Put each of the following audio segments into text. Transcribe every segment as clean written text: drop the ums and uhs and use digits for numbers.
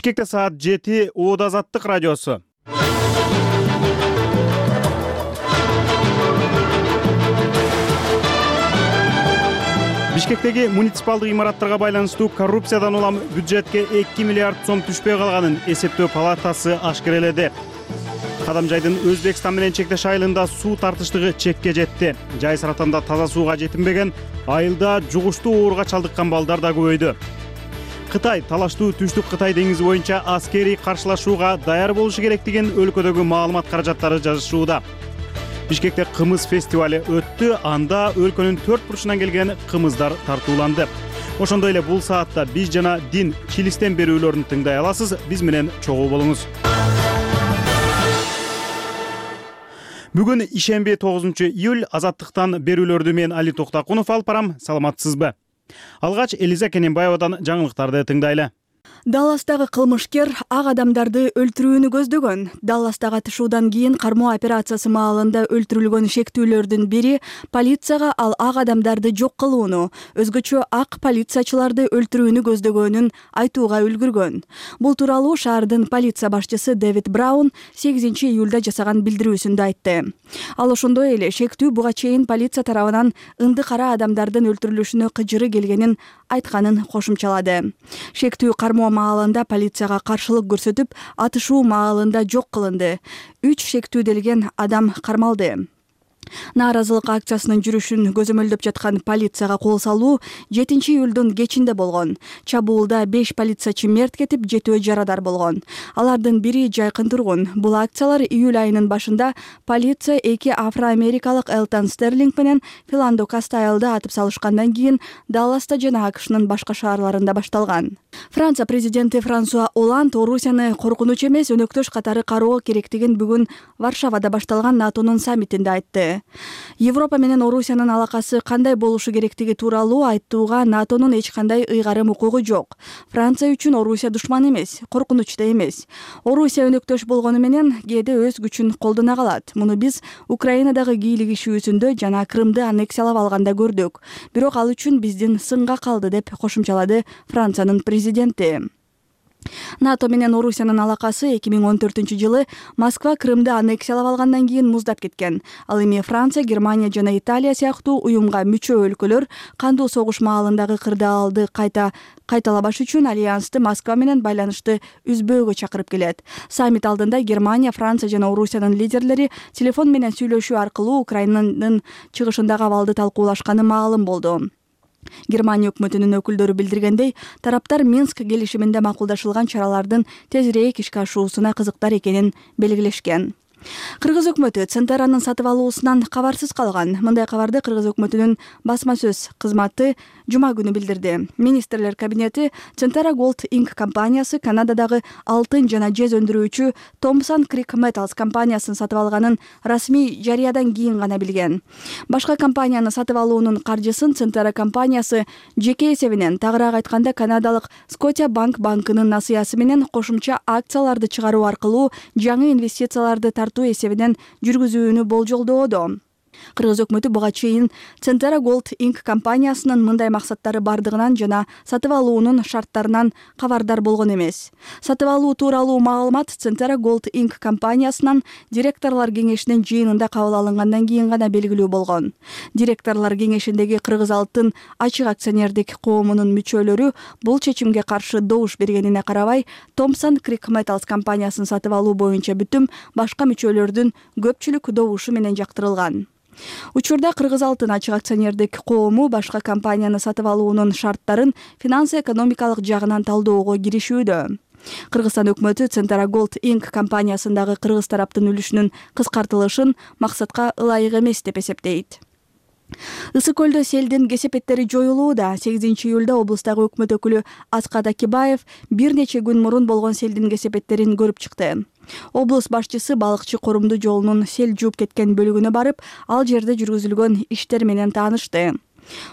Бишкекте саат 7 Оода Азаттык радиосу. Бишкектеги муниципалдык имараттарга байланыштуу коррупциядан улам бюджетке 2 миллиард сом түшпөй калганын эсептөө палатасы ашкереледи. Кадамжайдын Өзбекстан менен чектеш айылында суу тартыштыгы чекке жетти. Жай саратанда таза сууга жетинбеген, айылда жугуштуу ооруга чалдыккан балдар да көбөйдү. Кытай талаштуу түштүк Кытай деңизи боюнча аскерий каршылашууга даяр болушу керектигин өлкөдөгү маалымат каражаттары жазышууда. Бишкекте кымыз фестивалы өттү, анда өлкөнүн 4 бурчунан келген кымыздар тартууланды. Ошондой эле бул саатта биз жана дин чилистен берүүлөрүн тыңдай аласыз. Биз менен чогуу болуңуз. Бүгүн ишемби 9-июль. Азаттыктан берүүлөрдү мен Али Токтакунов алып барам. Саламатсызбы? Алгач Элиза Кененбаевадан жаңылыктарды тыңдайлы. Далластагы кылмышкер ак адамдарды өлтүрүүнү көздөгөн. Далластагы атышуудан кийин кармоо операциясы маалында өлтүрүлгөн шектүүлөрдүн бири полицияга ал ак адамдарды жок кылууну, өзгөчө ак полициячыларды өлтүрүүнү көздөгөнүн айтууга үлгүргөн. Бул тууралуу шаардын полиция башчысы Дэвид Браун 8-июлда жасаган билдирүүсүндө айтты. Ал ошондой эле шектүү буга чейин полиция тарабынан ынды кара адамдардын өлтүрүлүшүнө кыжыры келгенин айтканын кошумчалады. Шектүү кармоо маалында полицияга каршылык көрсөтүп, атышуу маалында жок кылынды. 3 шектүүделген адам кармалды. Нааразылык акциясынын жүрүшүн көзөмөлдөп жаткан полицияга кол салуу 7-июлдун кечинде болгон. Чабуулда 5 полициячы мерт кетип, 7 жарадар болгон. Алардын бири жайкын тургун. Бул акциялар июль айынын башында полиция 2 афро-америкалык Элтон Стерлинг менен Филандо Кастайлда атып салышкандан кийин Далласта жана АКШнын башка шаарларында башталган. Франция президенти Франсуа Оланд Орусияны коркунуч эмес, өнөктөш катары кароо керектигин бүгүн Варшавада башталган НАТОнун саммитинде айтты. Европа менен Орусиянын алакасы кандай болушу керектиги тууралуу айтууга НАТОнун эч кандай ыйгарым укугу жок. Франция үчүн Орусия душман эмес, коркунуч да эмес. Орусия өнөктөш болгону менен кээде өз күчүн колдоно калат. Муну биз Украинадагы кийлигишүүсүндө жана Крымды аннексиялап алганда көрдүк. Бирок ал үчүн биздин сынга калды, деп кошумчалады Франциянын президенти. НАТО менен Орусиянын алакасы 2014-жылы Москва Крымды аннексиялап алгандан кийин муздап кеткен. Ал эми Франция, Германия жана Италия сыяктуу уюмга мүчө өлкөлөр кандуу согуш маалындагы кырдаалды кайталабаш үчүн альянсты Москва менен байланышты үзбөөгө чакырып келет. Саммит алдында Германия, Франция жана Орусиянын лидерлери телефон менен сүйлөшүү аркылуу Украинанын чыгышындагы абалды талкуулашканы маалым болду. Германия өкмөтүнүн өкүлдөрү билдиргендей, тараптар Минск келишиминде макулдашылган чаралардын тезирээк ишке ашуусуна кызыктар экенин белгилешкен. Кыргыз өкмөтү Центеранын сатып алуусунан кабарсыз калган. Мындай кабарды Кыргыз өкмөтүнүн басма сөз кызматы жума күнү билдирди. Министрлер кабинети Центера Gold Inc. компаниясы Канададагы алтын жана жез өндүрүүчү Thompson Creek Metals компаниясын сатып алганын расмий жарыядан кийин гана билген. Башка компанияны сатып алуунун каржысын Центера компаниясы жеке эсебинен, тагыраак айтканда Канадалык Scotia Bank банкынын насыясы менен кошумча акцияларды чыгаруу аркылуу жаңы инвестицияларды тартуу эсебинен жүргүзүүнү болжолдоодо. Кыргыз өкмөтү буга чейин Центера Gold Inc. компаниясынын мындай максаттары бардыгынан жана сатып алуунун шарттарынан кабардар болгон эмес. Сатып алуу тууралуу маалымат Центера Gold Inc. компаниясынан директорлор кеңешинин жыйынында кабыл алынгандан кийин гана белгилүү болгон. Директорлор кеңешиндеги Кыргыз алтын ачык акционердик коомунун мүчөлөрү бул чечимге каршы добуш бергенине карабай, Thompson Creek Metals компаниясын сатып алуу боюнча бүтүм башка мүчөлөрдүн көпчүлүк добушу менен жактырылган. Учурда Кыргыз алтын ачык акционердик коому башка компанияны сатып алуунун шарттарын финанс-экономикалык жагынан талдоого киришүүдө. Кыргызстан өкмөтү Центера Gold Inc. компаниясындагы кыргыз тараптын үлүшүнүн кыскартылышын максатка ылайык эмес деп эсептейт. Ысык көлдө селдин кесепеттери жоюлууда. 8-июлда облустагы өкмөт өкүлү Аскат Акибаев бир нече күн мурун болгон селдин кесепеттерин көрүп чыкты. Облус башчысы балыкчы корумду жолунун сел жууп кеткен бөлүгүнө барып, ал жерде жүргүзүлгөн иштер менен таанышты.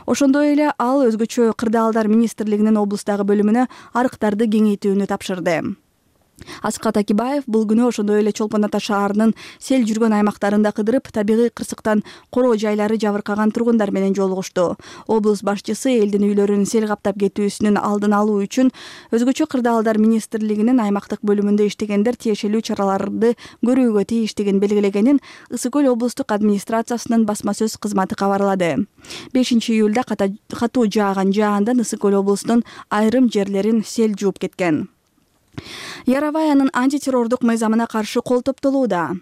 Ошондой эле ал өзгөчө кырдаалдар министрлигинин облустагы бөлүмүнө арыктарды кеңейтүүнү тапшырды. Аскат Акибаев бул күнү ошондой эле Чолпон Ата шаарынын сел жүргөн аймактарында кыдырып, табигый кырсыктан короо жайлары жабыркаган тургундар менен жолугушту. Облус башчысы элдин үйлөрүн сел каптап кетүүсүнүн алдын алуу үчүн өзгөчө кырдаалдар министрлигинин аймактык бөлүмүндө иштегендер тиешелүү чараларды көрүүгө тийиштигин белгилегенин Ысык Көл облустук администрациясынын басма сөз кызматы кабарлады. 5-июлда катуу жааган жаандан Ысык Көл облусунун айрым жерлерин сел жууп кеткен. Яроваянын антитеррордук мыйзамына каршы кол топтолууда.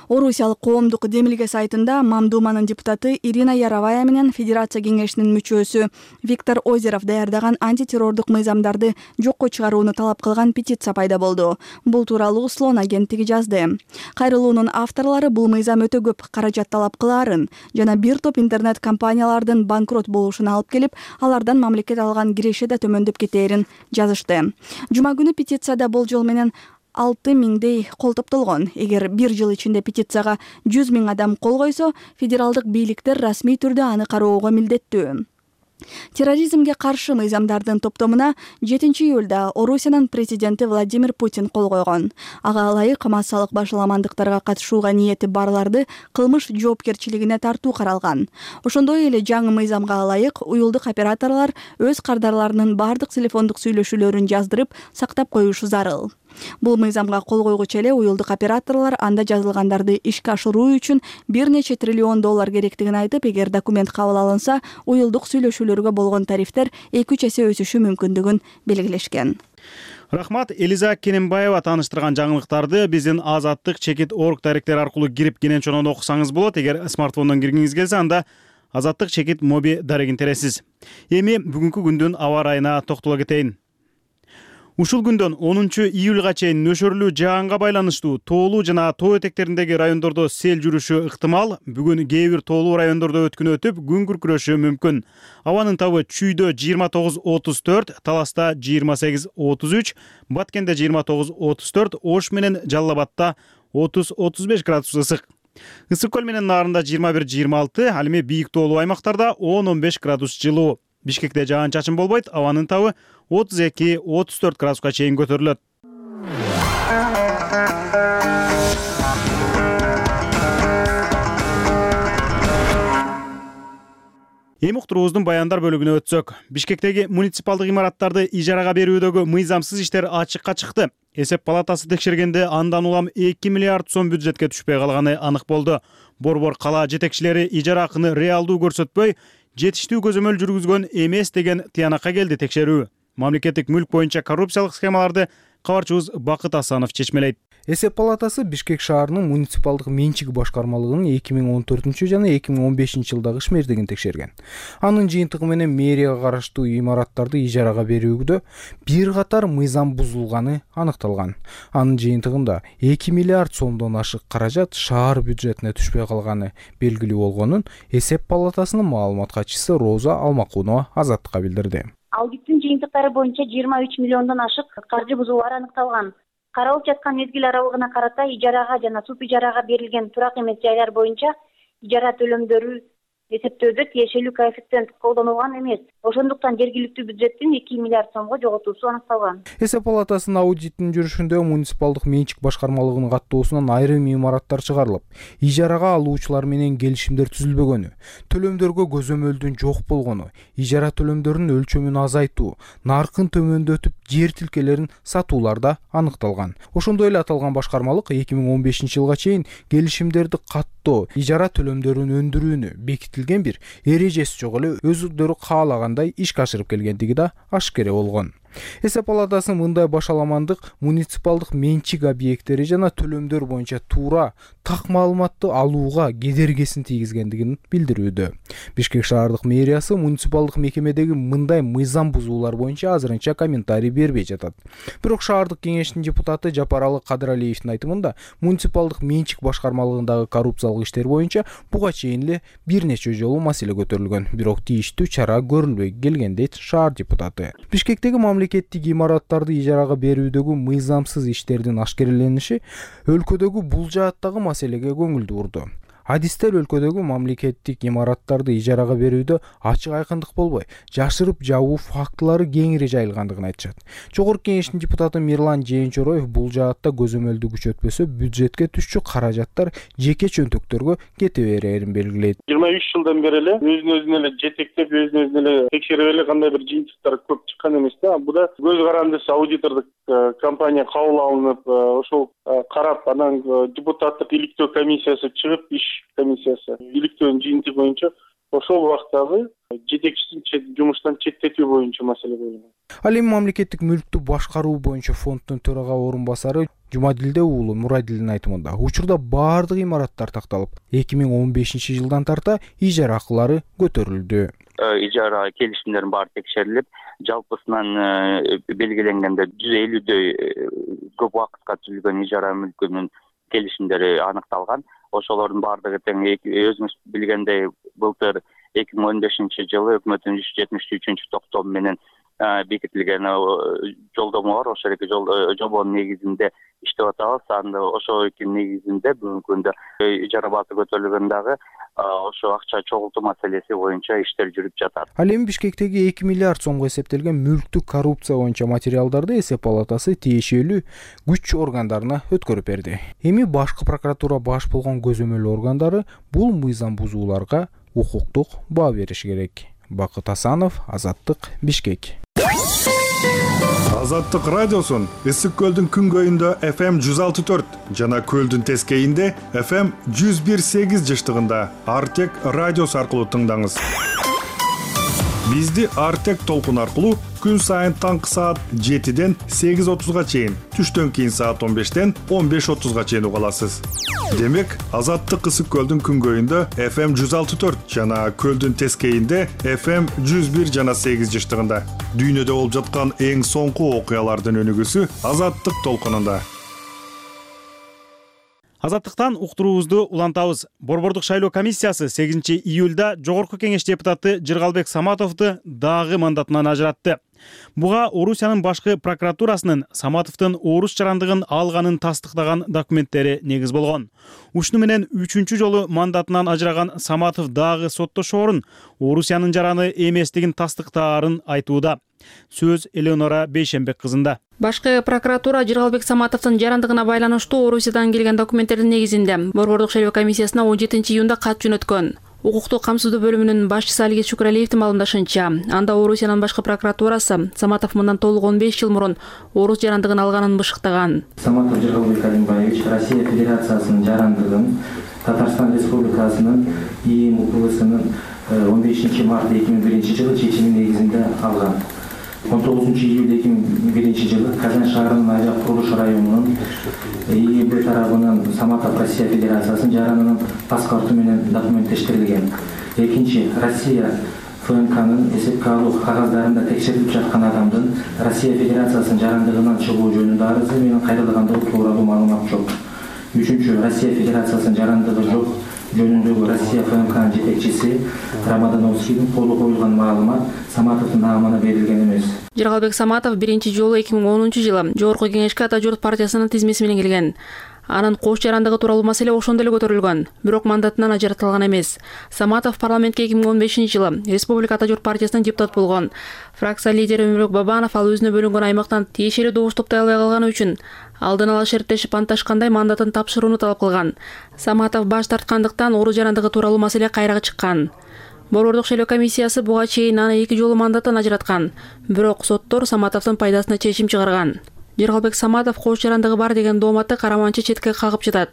Орусиялык коомдук демилге сайтында Мамдуманын депутаты Ирина Яровая менен Федерация кеңешинин мүчөсү Виктор Озеров даярдаган антитеррордук мыйзамдарды жокко чыгарууну талап кылган петиция пайда болду. Бул тууралуу Слон агенттиги жазды. Кайрылуунун авторлору бул мыйзам өтө көп каражат талап кылаарын жана бир топ интернет компаниялардын банкрот болушуна алып келип, алардан мамлекет алган киреше да төмөндөп кетээрин жазышты. Жума күнү петицияда болжол менен 6000дей кол топтолгон. Эгер бир жыл ичинде петицияга 100 000 адам кол койсо, федералдык бийликтер расмий түрдө аны кароого милдеттүү. Терроризмге каршы мыйзамдардын топтомуна 7-июлда Орусиянын президенти Владимир Путин кол койгон. Ага ылайык массалык башаламандыктарга катышууга ниети барларды кылмыш жоопкерчилигине тартуу каралган. Ошондой эле жаңы мыйзамга ылайык уюлдук операторлор өз кардарларынын бардык телефондук сүйлөшүүлөрүн жаздырып сактап коюшу зарыл. Бул мыйзамга кол койгучу эле уюлдук операторлор анда жазылгандарды ишке ашыруу үчүн бир нече триллион доллар керектигин айтып, эгер документ кабыл алынса, уюлдук сүйлөшүүлөргө болгон тарифтер 2-3 эсе өсүшү мүмкүндүгүн белгилешкен. Рахмат. Элиза Кененбаева тааныштырган жаңылыктарды биздин azattik.org даректери аркылуу кирип кенен окусаңыз болот. Эгер смартфондон киргиңиз келсе, анда Azattik моби дарегин тересиз. Эми бүгүнкү күндүн аба ырайына токтоло кетейин. Ушул күндөн 10-июлга чейин нөшөрлүү жаанга байланыштуу тоолуу жана тоо этектериндеги райондордо сел жүрүшү ыктымал. Бүгүн кээ бир тоолуу райондордо өткүн өтүп, күн күркүрөшү мүмкүн. Абанын табы Чүйдө 29-34, Таласта 28-33, Баткенде 29-34, Ош менен Жалал Абадта 30-35 градус ысык. Ысык Көл менен Нарында 21-26, ал эми бийик тоолуу аймактарда 10-15 градус жылуу. Бишкекте жаан-чачын болбойт, абанын табы 32-34 градуска чейин көтөрүлөт. Эми уктуруубуздун баяндар бөлүгүнө өтсөк, Бишкектеги муниципалдык имараттарды ижарага берүүдөгү мыйзамсыз иштер ачыкка чыкты. Эсеп палатасы текшергенде андан улам 2 миллиард сом бюджетке түшпөй калганы анык болду. Борбор кала жетекчилери ижара акыны реалдуу көрсөтпөй, жетиштүү көзөмөл жүргүзгөн эмес деген тыянакка келди текшерүү. Мамлекеттик мүлк боюнча коррупциялык схемаларды кабарчыбыз Бакыт Асанов чечмелейт. Эсеп палатасы Бишкек шаарынын муниципалдык менчик башкармалыгынын 2014 жана 2015 жылдагы ишмердигин текшерген. Анын жыйынтыгы менен мэрияга караштуу имараттарды ижарага берүүдө бир катар мыйзам бузулганы аныкталган. Анын жыйынтыгында 2 миллиард сомдон ашык каражат шаар бюджетине түшпөй калганы белгилүү болгонун Эсеп палатасынын маалымат катчысы Роза Алмакунова Азаттыкка билдирди. Аудиттин жыйынтыктары боюнча 23 миллиондон ашык каржы бузуулар аныкталган. Каралып жаткан мезгил аралыгына карата ижарага жана суп ижарага берилген турак эмес жайлар боюнча ижара төлөмдөрү эсептөөдө тиешелүү коэффициент колдонулган эмес. Ошондуктан жергиликтүү бюджеттин 2 миллиард сомго жоготуусу аныкталган. Эсеп палатасынын аудитинин жүрүшүндө муниципалдык менчик башкармалыгынын каттоосунан айрым имараттар чыгарылып, ижарага алуучулар менен келишимдер түзүлбөгөнү, төлөмдөргө көзөмөлдүн жок болгону, ижара төлөмдөрүнүн өлчөмүн азайтуу, наркын төмөндөтүп, жер тилкелерин сатууларда аныкталган. Ошондой эле аталган башкармалык 2015 жылга чейин келишимдерди каттоо, ижара төлөмдөрүн өндүрүүнү бекитилген бир эрежеси жок эле өздөрү каалагандай ишке ашырып келгендиги да ашкере болгон. Эсеп палатасы мындай башаламандык муниципалдык менчик объекттери жана төлөмдөр боюнча туура так маалыматты алууга кедергисин тийгизгендигин билдирүүдө. Бишкек шаардык мэриясы муниципалдык мекемедеги мындай мыйзам бузуулар боюнча азырынча комментарий бербей жатат. Бирок шаардык кеңештин депутаты Жапаралы Кадыралиевдин айтымында муниципалдык менчик башкармалыгындагы коррупциялык иштер боюнча буга чейин эле бир нече жолу маселе көтөрүлгөн, бирок тийиштүү чара көрүлбөй келген дейт шаар депутаты. Бишкектеги мамлекеттик имараттарды ижарага берүүдөгү мыйзамсыз иштердин ашкерелениши өлкөдөгү бул жааттагы маселеге көңүл бурду. Адистер өлкөдөгү мамлекеттик имараттарды ижарага берүүдө ачык айкындык болбой, жашырып жабуу фактылары кеңири жайылгандыгын айтышат. Жогорку кеңештин депутаты Мирлан Жээнчороев бул жаатта көзөмөлдү күчөтпөсө бюджетке түшчү каражаттар жеке чөнтөктөргө кете берерин белгилейт. 23 жылдан бери эле өзүн эле жетектеп, өзүн эле текшерип эле кандай бир жыйынтыктар көп чыккан эмес да. Буда көз карандысы аудитордук компания кабыл алынып, ошол карап, анан депутаттык иликтөө комиссиясы чыгып, иш комиссиясы иликтөөнүн жыйынтыгы боюнча ошол убактагы жетекчисин жумуштан четтетүү боюнча маселе коюлган. Ал эми мамлекеттик мүлктү башкаруу боюнча фонддун төрага орун басары Жумадилде уулу Мурадилдин айтымында учурда баардык имараттар такталып, 2015 жылдан тарта ижара акылары көтөрүлдү. Ижара келишимдерин баары текшерилип, жалпысынан белгиленгенде 150дөй көп убакытка түзүлгөн ижара мүлкүнүн келишимдери аныкталган. Ошолордун баардыгы тең өзүңүз билгендей былтыр 2015 жылы өкмөттүн 173 токтому менен бекитилген жолдомо бар. Ошол эки жобонун негизинде иштеп атабыз. Анда ошол эки негизинде бүгүнкү күндө ижара баасы көтөрүлгөн дагы ошо акча чогултуу маселеси боюнча иштер жүрүп жатат. Ал эми Бишкектеги 2 миллиард сомго эсептелген мүлктүк коррупция боюнча материалдарды эсеп палатасы тиешелүү күч органдарына өткөрүп берди. Эми башкы прокуратура баш болгон көзөмөл органдары бул мыйзам бузууларга укуктук баа бериши керек. Бакыт Асанов, Азаттык, Бишкек. Азаттык радиосун Ысык көлдүн күнгөйүндө FM 106.4 жана көлдүн тескейинде FM 101.8 жыштыгында Артек радиосу аркылуу тыңдаңыз. Бизди Артек толкун аркылуу күн сайын таңкы саат 7ден 8:30га чейин, түштөн кийин саат 15ден 15:30га чейин уга аласыз. Демек, Азаттык Ысык көлдүн күнгөйүндө FM 106.4 жана көлдүн тескейинде FM 101 жана 8 жыштыгында. Дүйнөдө болуп жаткан эң соңку окуялардын өнүгүүсү Азаттык толкунунда. Азаттыктан уктуруубузду улантабыз. Борбордук шайлоо комиссиясы 8 июлда Жогорку кеңеш депутаты Жыргалбек Саматовду дагы мандатынан ажыратты. Буга Орусиянын башкы прокуратурасынын Саматовдун орус жарандыгын алганын тастыктаган документтери негиз болгон. Ушуну менен 3-чү жолу мандатынан ажыраган Саматов дагы соттошоорун Орусиянын жараны эместигин тастыктаарын айтууда. Сөз Элеонора Бейшембек кызында. Башкы прокуратура Жыргалбек Саматовдун жарандыгына байланыштуу Орусиядан келген документтердин негизинде Борбордук шайлоо комиссиясына 17 июнда кат жөнөткөн. Укуктук камсыздоо бөлүмүнүн башчысы Алигет Шүкүралиевдин маалымдашынча, анда Орусиянын башкы прокуратурасы Саматов мындан толук 15 жыл мурун орус жарандыгын алганын бышыктаган. Саматов Жыргалбек Алимбаевич Россия Федерациясынын жарандыгын Татарстан Республикасынын ИИМ УКМКнын 15 март 2001 жылы чечими негизинде алган. 19 июль 2001 жылы Казан шаарынын Айжак курулуш районунун ИИБ тарабынан Саматов Россия Федерациясынын жаранынын паспорту менен документтештирилген. Экинчи, Россия ФНКнын эсепке алуу кагаздарында текшерилип жаткан адамдын Россия Федерациясынын жарандыгынан чыгуу жөнүндө арызы менен кайрылгандыгы тууралуу маалымат жок. Үчүнчү, Россия Федерациясынын жарандыгы жок жөнүндөгү Россия ФНКнын жетекчиси Рамадановскийдин колу коюлган маалымат Саматовдун наамына берилген эмес. Жыргалбек Саматов биринчи жолу 2010 жылы Жогорку кеңешке Ата журт партиясынын тизмеси менен келген. Анын кош жарандыгы тууралуу маселе ошондо эле көтөрүлгөн, бирок мандатынан ажыратылган эмес. Саматов парламентке 2015 жылы Республика Ата журт партиясынын депутат болгон. Фракция лидери Өмүрбек Бабанов ал өзүнө бөлүнгөн аймактан тиешелүү добуш топтой албай калганы үчүн алдын ала шерттешип анташкандай мандатын тапшырууну талап кылган. Саматов баш тарткандыктан орус жарандыгы тууралуу маселе кайрага чыккан. Борбордук шайлоо комиссиясы буга чейин аны 2 жолу мандаттан ажыраткан, бирок соттор Саматовдун пайдасына чечим чыгарган. Жыргалбек Саматов кош жарандыгы бар деген дооматты караманчы четке кагып жатат.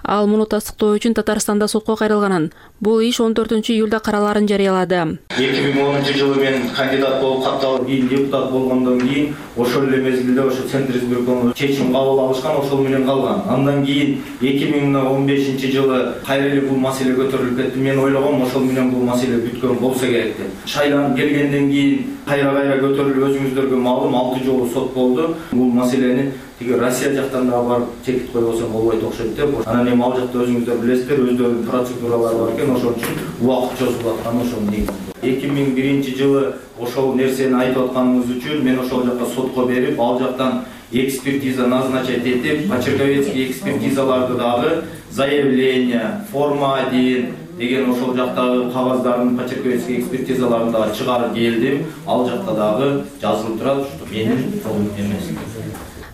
Ал муну тастыктоо үчүн Татарстанда сотко кайрылганын. Бул иш 14 июлда караларын жарыялады. 2010 жылы мен кандидат болуп катталып, кийин депутат болгондон кийин ошол эле мезгилде ошо Центр избирком чечим кабыл алышкан, ошол менен калган. Андан кийин 2015 жылы кайра эле бул маселе көтөрүлүп кетти. Мен ойлогом ошол менен бул маселе бүткөн болсо керек деп. Шайланып келгенден кийин кайра көтөрүлүп, өзүңүздөргө маалым 6 жолу сот болду. Бул маселени тиги Россия жактан да барып чекит койбосо болбойт окшойт деп. Анан эми ал жакта өзүңүздөр билесиздер, өздөрүнүн процедуралары бар экен, ошон үчүн убакыт чозулуп атканы ошол негизинде. 2001 жылы ошол нерсени айтып атканыңыз үчүн мен ошол жакка сотко берип, ал жактан экспертиза назначать этип, почерковецкий экспертизаларды дагы заявление, форма 1 деген ошол жактагы кагаздардын почерковецкий экспертизаларын дагы чыгарып келдим. Ал жакта дагы жазылып турат, что менин колум эмес.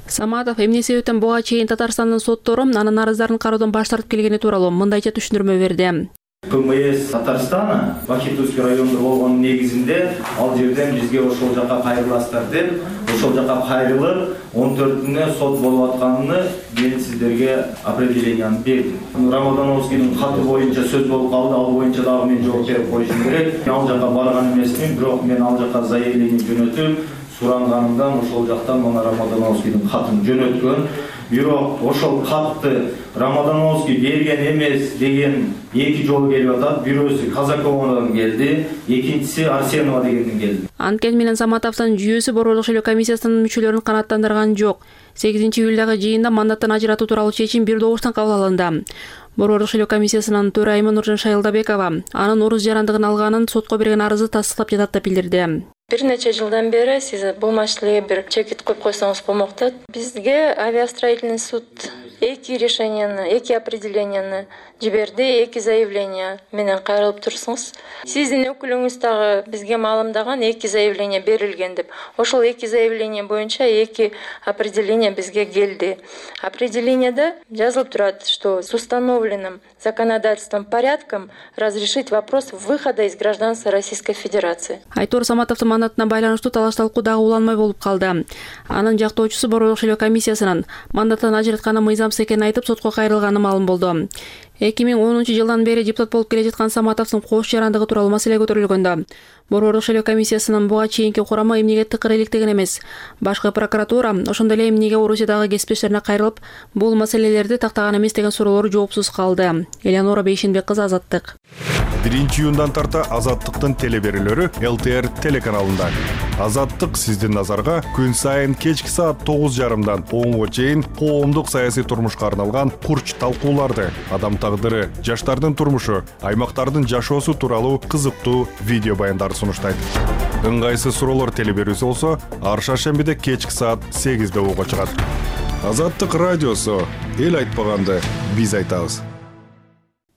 Саматов эмне себептен буга чейин Татарстандын соттору анын арыздарын кароодон баш тартып келгени тууралуу мындайча түшүндүрмө берди. ПМС Татарстана Бахитовский районунда болгон негизинде ал жерден бизге ошол жака кайрыласыздар деп, ошол жака кайрылып 14-үнө сот болуп атканын мен сиздерге определенияны бердим. Рамадановскийдин каты боюнча сөз болуп калды, ал боюнча дагы мен жооп берип коюшум керек. Ал жака барган эмесмин, бирок мен ал жака заявление жөнөтүп, суранганымдан ошол жактан мына Рамадановскийдин катын жөнөткөн. Бирок ошол катты Рамадановский берген эмес деген эки жол келип атат. Бирөөсү Казаковандан келди, экинчиси Арсенова дегенден келди. Анткени менен Саматовдун жүйөөсү Борбордук шайлоо комиссиясынын мүчөлөрүн канааттандырган жок. 8-июлдагы жыйында мандаттан ажыратуу тууралуу чечим бир добуштан кабыл алынды. Борбордук шайлоо комиссиясынын төрайымы Нуржан Шайылдабекова анын орус жарандыгын алганын сотко берген арызы тастыктап жатат деп билдирди. Бир нече жылдан бери сиз бул маселеге бир чекит коюп койсоңуз болмок да. Бизге авиастроительный суд эки решенияны, эки определенияны жиберди, эки заявление менен кайрылып турсуңуз. Сиздин өкүлүңүз дагы бизге маалымдаган эки заявление берилген деп. Ошол эки заявление боюнча эки определение бизге келди. Определениеде жазылып турат, что с установленным законодательством порядком разрешить вопрос выхода из гражданства Российской Федерации. Айтор Саматовдун мандатына байланыштуу талаш-талкуу дагы уланмай болуп калды. Анын жактоочусу Борбордук шайлоо комиссиясынын мандаттан ажыратканы мыйзамсыз экенин айтып сотко кайрылганы маалым болду. 2010-жылдан бери депутат болуп келе жаткан Саматовдун кош жарандыгы тууралуу маселе көтөрүлгөндө Борбордук шайлоо комиссиясынын буга чейинки курамы эмнеге тыкыр иликтеген эмес. Башкы прокуратура ошондой эле эмнеге Орусиядагы кесиптештерине кайрылып, бул маселелерди тактаган эмес деген суроолор жоопсуз калды. Элеонора Бейшенбек кызы, Азаттык. 1-июндан тарта Азаттыктын телеберүүлөрү ЛТР телеканалында. Азаттык сиздин назарга күн сайын кечки саат 9:30 10:00 чейин коомдук саясий турмушка арналган курч талкууларды, адам тагдыры, жаштардын турмушу, аймактардын жашоосу тууралуу кызыктуу видео баяндарды сунуштайт. Ыңгайсыз суроолор телеберүүсү болсо, ар шаршембиде кечки саат 8:00 уга чыгат. Азаттык радиосу, эл айтпаганды биз айтабыз.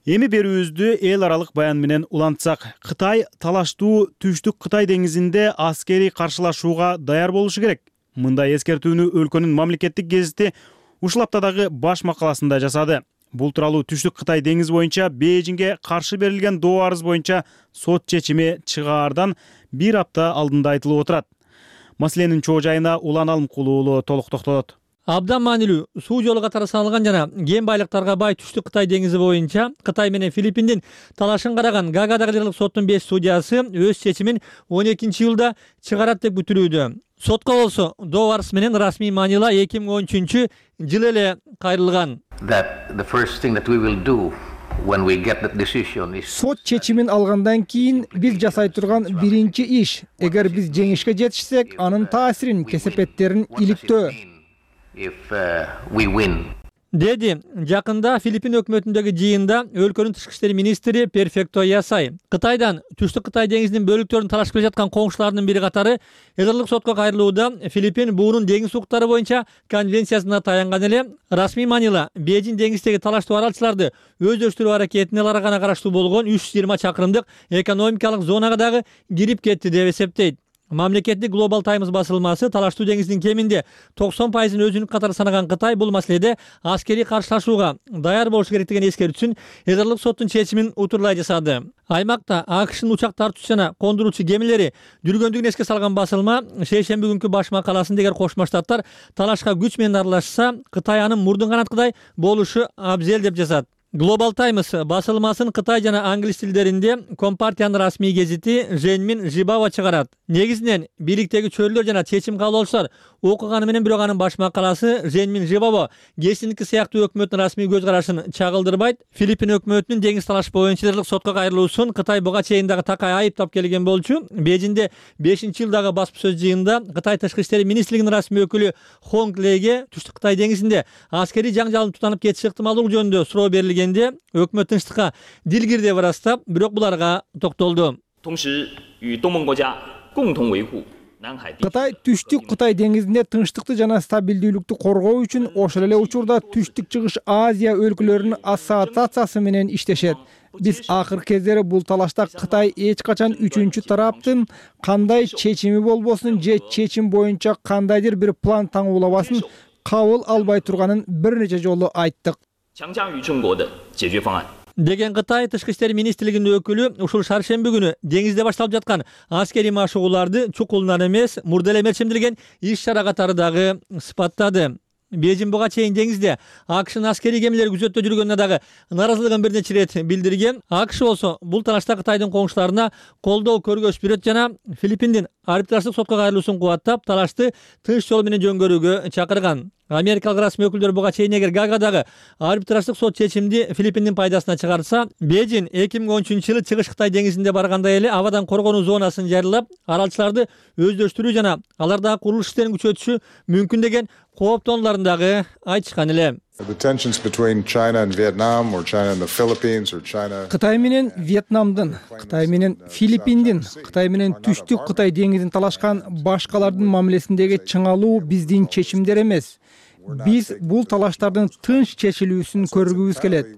Эми берүүбүздү эл аралык баян менен улантсак, Кытай талаштуу Түштүк Кытай деңизинде аскерий каршылашууга даяр болушу керек. Мындай эскертүүнү өлкөнүн мамлекеттик гезити ушул аптадагы баш макаласында жасады. Бул тууралуу Түштүк Кытай деңизи боюнча Бейжиңге каршы берилген доо арыз боюнча сот чечими чыгаардан бир апта алдында айтылып отурат. Маселенин чоо жайына Улан Алымкулуу уулу толук токтолот. Абдан маанилүү суу жолу катары саналган жана кен байлыктарга бай Түштүк Кытай деңизи боюнча Кытай менен Филиппиндин талашын караган Гаагадагы Жергиликтүү соттун 5 судьясы өз чечимин 12-июлда чыгарат деп күтүлүүдө. Сотко болсо доо арыз менен расмий маанила 2013 жылы эле кайрылган. Сот чечимин алгандан кийин биз жасай турган биринчи иш, эгер биз жеңишке жетишсек, анын таасирин, кесепеттерин иликтөө. Деди жакында Филиппин өкмөтүндөгү жыйында өлкөнүн тышкы иштер министри Перфекто Ясай Кытайдан Түштүк Кытай деңизинин бөлүктөрүн талашып келе жаткан коңшуларынын бири катары Эдерлик сотко кайрылууда Филиппин буунун деңиз укуктары боюнча конвенциясына таянган эле. Расмий маанила Бейжиң деңиздеги талаштуу аралчыларды өздөштүрүү аракетине аларга гана караштуу болгон 320 чакырымдык экономикалык зонага дагы кирип кетти деп эсептейт. Мамлекеттик Global Times басылмасы талаштуу деңиздин кеминде 90% өзүнүн катары санаган Кытай бул маселеде аскерий каршылашууга даяр болушу керек деген эскертүүсүн Эдерлик соттун чечимин утурлай жасады. Аймакта АКШнын учак тартуучу жана кондуруучу кемелери жүргөндүгүн эске салган басылма шейшемби күнкү баш макаласында эгер Кошмо Штаттар талашка күч менен аралашса, Кытай анын мурдун канаткыдай болушу абзел деп жазат. Global Times басылмасын Кытай жана англис тилдеринде Компартиянын расмий гезити Женмин Жибао чыгарат. Негизинен бийликтеги чөйрөлөр жана чечим кабыл окуганы менен бирок анын баш макаласы Женмин Жибао гезитиники сыяктуу өкмөттүн расмий көз карашын чагылдырбайт. Филиппин өкмөтүнүн деңиз талаш боюнча Эдерлик сотко кайрылуусун Кытай буга чейин дагы такай айыптап келген болчу. Бейжиңде 5-жылдагы баспасөз жыйынында Кытай тышкы иштер министрлигинин расмий өкүлү Хонг Леге Түштүк Кытай деңизинде аскерий жаңжалдын тутанып кетиши ыктымалдуулугу жөнүндө суроо берилгенде өкмөт тынчтыкка дил кирди деп ырастап, бирок буларга токтолду. Кытай түштүк Кытай деңизинде тынчтыкты жана стабилдүүлүктү коргоо үчүн ошол эле учурда Түштүк Чыгыш Азия өлкөлөрүнүн ассоциациясы менен иштешет. Биз акыркы кездери бул талашта Кытай эч качан үчүнчү тараптын кандай чечими болбосун же чечим боюнча кандайдыр бир план таңуулабасын кабыл албай турганын бир нече жолу айттык деген Кытай Тышкы иштер министрлигинин өкүлү ушул шаршемби күнү деңизде башталып жаткан аскерий машыгууларды чукулунан эмес, мурда эле мерчимдилген иш-чара катары дагы сыпаттады. Бейжин буга чейин деңизде АКШнын аскерий кемелери күзөттө жүргөнүнө дагы нааразылыгын бир нече ирет билдирген. АКШ болсо бул талашта Кытайдын коңшуларына колдоо көргөзүп берет жана Филиппиндин арбитраждык сотко кайрылуусун кубаттап, талашты тынч жол менен жөнгөрүүгө чакырган. Америкалык расмий өкүлдөр буга чейин эгер Гаагадагы арбитраждык сот чечимди Филиппиндин пайдасына чыгарса, Бейжин 2013-жылы Чыгыш Кытай деңизинде баргандай эле абадан коргонуу зонасын жарыялап, аралчыларды өздөштүрүү жана алардагы курулуш иштерин күчөтүшү мүмкүн деген кооптонуларын дагы айтышкан эле. Кытай менен Вьетнамдын, Кытай менен Филиппиндин, Кытай менен Түштүк Кытай деңизин талашкан башкалардын мамилесиндеги чыңалуу биздин чечимдер эмес. Биз бул талаштардын тынч чечилүүсүн көргүбүз келет.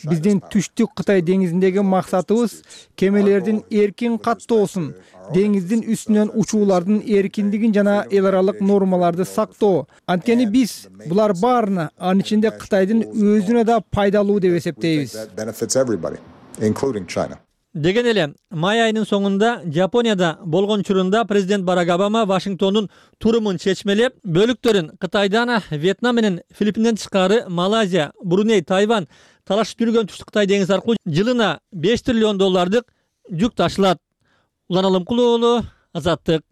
Биздин Түштүк Кытай деңизиндеги максатыбыз кемелердин эркин каттоосун, деңиздин үстүнөн учуулардын эркиндигин жана эл аралык нормаларды сактоо. Анткени биз булар баарына, анын ичинде Кытайдын өзүнө да пайдалуу деп эсептейбиз. Деген эле май айынын соңунда Жапонияда болгон учурунда президент Барак Обама Вашингтондун турумун чечмелеп, бөлүктөрүн Кытайдан, Вьетнам менен Филиппинден тышкары Малайзия, Бруней, Тайвань талашып жүргөн Түштүк Кытай деңизи аркылуу жылына $5 триллион жүк ташылат. Улан Алымкул уулу, Азаттык.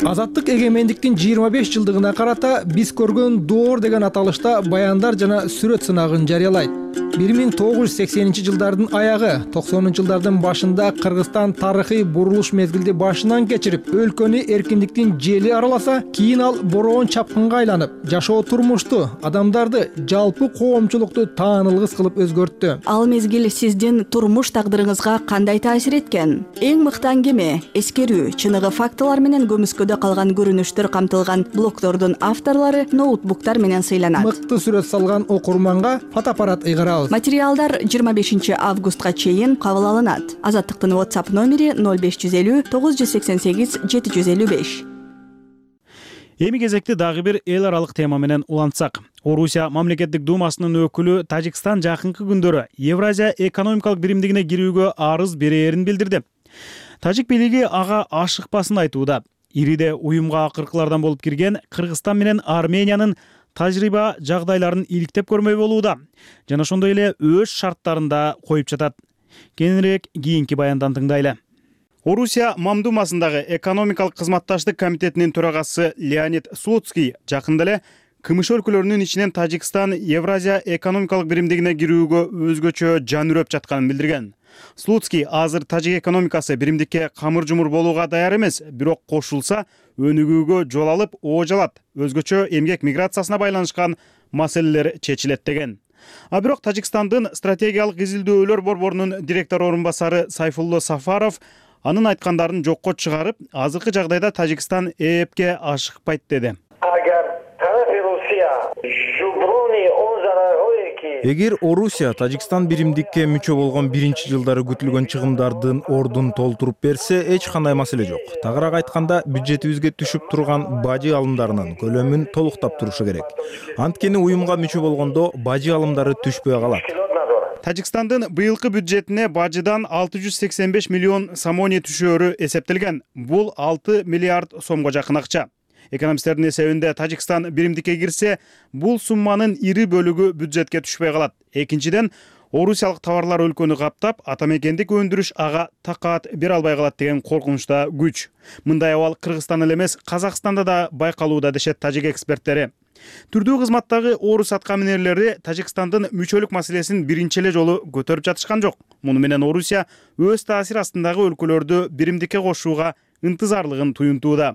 Азаттык эгемендиктин 25 жылдыгына карата биз көргөн доор деген аталышта баяндар жана сүрөт сынагын жарыялайт. 1980-жылдардын аягы, 90-жылдардын башында Кыргызстан тарыхый бурулуш мезгилди башынан кечирип, өлкөнү эркиндиктин жели араласа, кийин ал бороон чапкынга айланып, жашоо турмушту, адамдарды, жалпы коомчулукту таанылгыс кылып өзгөрттү. Ал мезгил сиздин турмуш тагдырыңызга кандай таасир эткен? Эң мыкты аңгеме, эскерүү, чыныгы фактылар менен көмүскөдө калган көрүнүштөр камтылган блогдордун авторлору ноутбуктар менен сыйланат. Мыкты сүрөт салган окурманга фотоаппарат ыйгарабыз. Материалдар 25 августка чейин кабыл алынат. Азаттыктын WhatsApp номери 0550 988 755. Эми кезекти дагы бир эл аралык тема менен улантсак. Орусия мамлекеттик думасынын өкүлү Тажикстан жакынкы күндөрү Евразия экономикалык биримдигине кирүүгө арыз берээрин билдирди. Тажик бийлиги ага ашыкпасын айтууда. Ириде уюмга акыркылардан болуп кирген Кыргызстан менен Армениянын тажрыйба жагдайларын иликтеп көрмөй болууда жана ошондой эле өз шарттарында коюп жатат. Кененирээк кийинки баяндан тыңдайлы. Орусия Мамдумасындагы экономикалык кызматташтык комитетинин төрагасы Леонид Слуцкий жакында эле КМШ өлкөлөрүнүн ичинен Тажикстан Евразия экономикалык биримдигине кирүүгө өзгөчө жан үрөп жатканын билдирген. Слуцкий азыр тажик экономикасы биримдикке камыр жумур болууга даяр эмес, бирок кошулса өнүгүүгө жол алып оожалат, өзгөчө эмгек миграциясына байланышкан маселелер чечилет деген. А бирок Тажикстандын стратегиялык изилдөөлөр борборунун директор орун басары Сайфулло Сафаров анын айткандарын жокко чыгарып, азыркы жагдайда Тажикстан ЭЭПке ашыкпайт деди. Эгер Орусия Тажикстан биримдикке мүчө болгон биринчи жылдары күтүлгөн чыгымдардын ордун толтуруп берсе, эч кандай маселе жок. Тагыраак айтканда, бюджетибизге түшүп турган бажы алымдарынын көлөмүн толуктап турушу керек. Анткени уюмга мүчө болгондо бажы алымдары түшпөй калат. Тажикстандын быйылкы бюджетине бажыдан 685 миллион самони түшөөрү эсептелген. Бул 6 миллиард сомго жакын акча. Экономисттердин эсебинде Тажикстан биримдикке кирсе, бул сумманын ири бөлүгү бюджетке түшпөй калат. Экинчиден, орусиялык товарлар өлкөнү каптап, атамекендик өндүрүш ага такаат бере албай калат деген коркунучта күч. Мындай абал Кыргызстан эле эмес, Казакстанда да байкалууда дешет тажик эксперттери. Түрдүү кызматтагы орус аткаминерлери Тажикстандын мүчөлүк маселесин биринчи эле жолу көтөрүп жатышкан жок. Муну менен Орусия өз таасир астындагы өлкөлөрдү биримдикке кошууга ынтызарлыгын туюнтууда.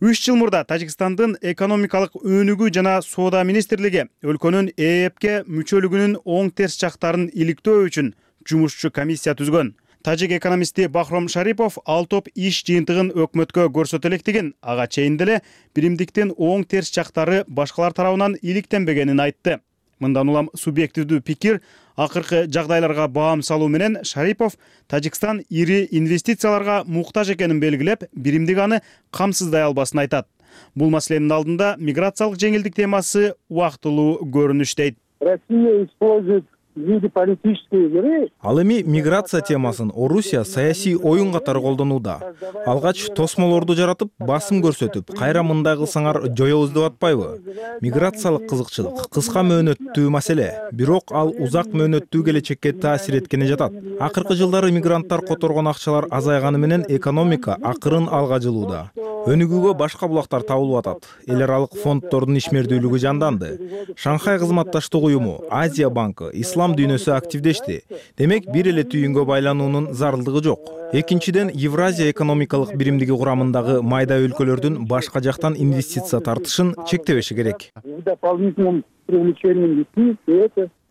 3 жыл мурда Тажикстандын экономикалык өнүгүү жана соода министрлиги өлкөнүн ЭЭПке мүчөлүгүнүн оң терс жактарын иликтөө үчүн жумушчу комиссия түзгөн. тажик экономисти Бахром Шарипов ал топ иш жыйынтыгын өкмөткө көрсөтө электигин, ага чейин деле биримдиктин оң терс жактары башкалар тарабынан иликтенбегенин айтты. Мындан улам субъективдүү пикир, акыркы жагдайларга баам салуу менен Шарипов Тажикстан ири инвестицияларга муктаж экенин белгилеп, биримдик аны камсыздай албасын айтат. Бул маселенин алдында миграциялык жеңилдик темасы убактылуу көрүнүш дейт. Россия использует в виде политической игры. Ал эми миграция темасын Орусия саясий оюн катары колдонууда. Алгач тосмолорду жаратып, басым көрсөтүп, кайра мындай кылсаңар жоёбуз деп атпайбы? Миграциялык кызыкчылык кыска мөөнөттүү маселе, бирок ал узак мөөнөттүү келечекке таасир эткени жатат. Акыркы жылдары мигранттар которгон акчалар азайганы менен экономика акырын алга жылууда. Өнүгүүгө башка булактар табылып атат. Эл аралык фонддордун ишмердүүлүгү жанданды. Шанхай кызматташтык уюму, Азия банкы, ислам дүйнөсү активдешти. Демек, бир эле түйүнгө байлануунун зарылдыгы жок. Экинчиден, Евразия экономикалык биримдиги курамындагы майда өлкөлөрдүн башка жактан инвестиция тартышын чектебеши керек.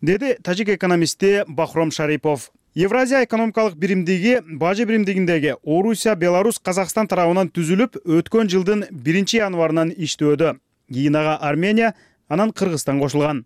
Деди тажик экономисти Бахром Шарипов. Евразия экономикалык биримдиги бажы биримдигиндеги Орусия, Беларусь, Казакстан тарабынан түзүлүп, өткөн жылдын 1 январынан иштөөдө. Кийин ага Армения, анан Кыргызстан кошулган.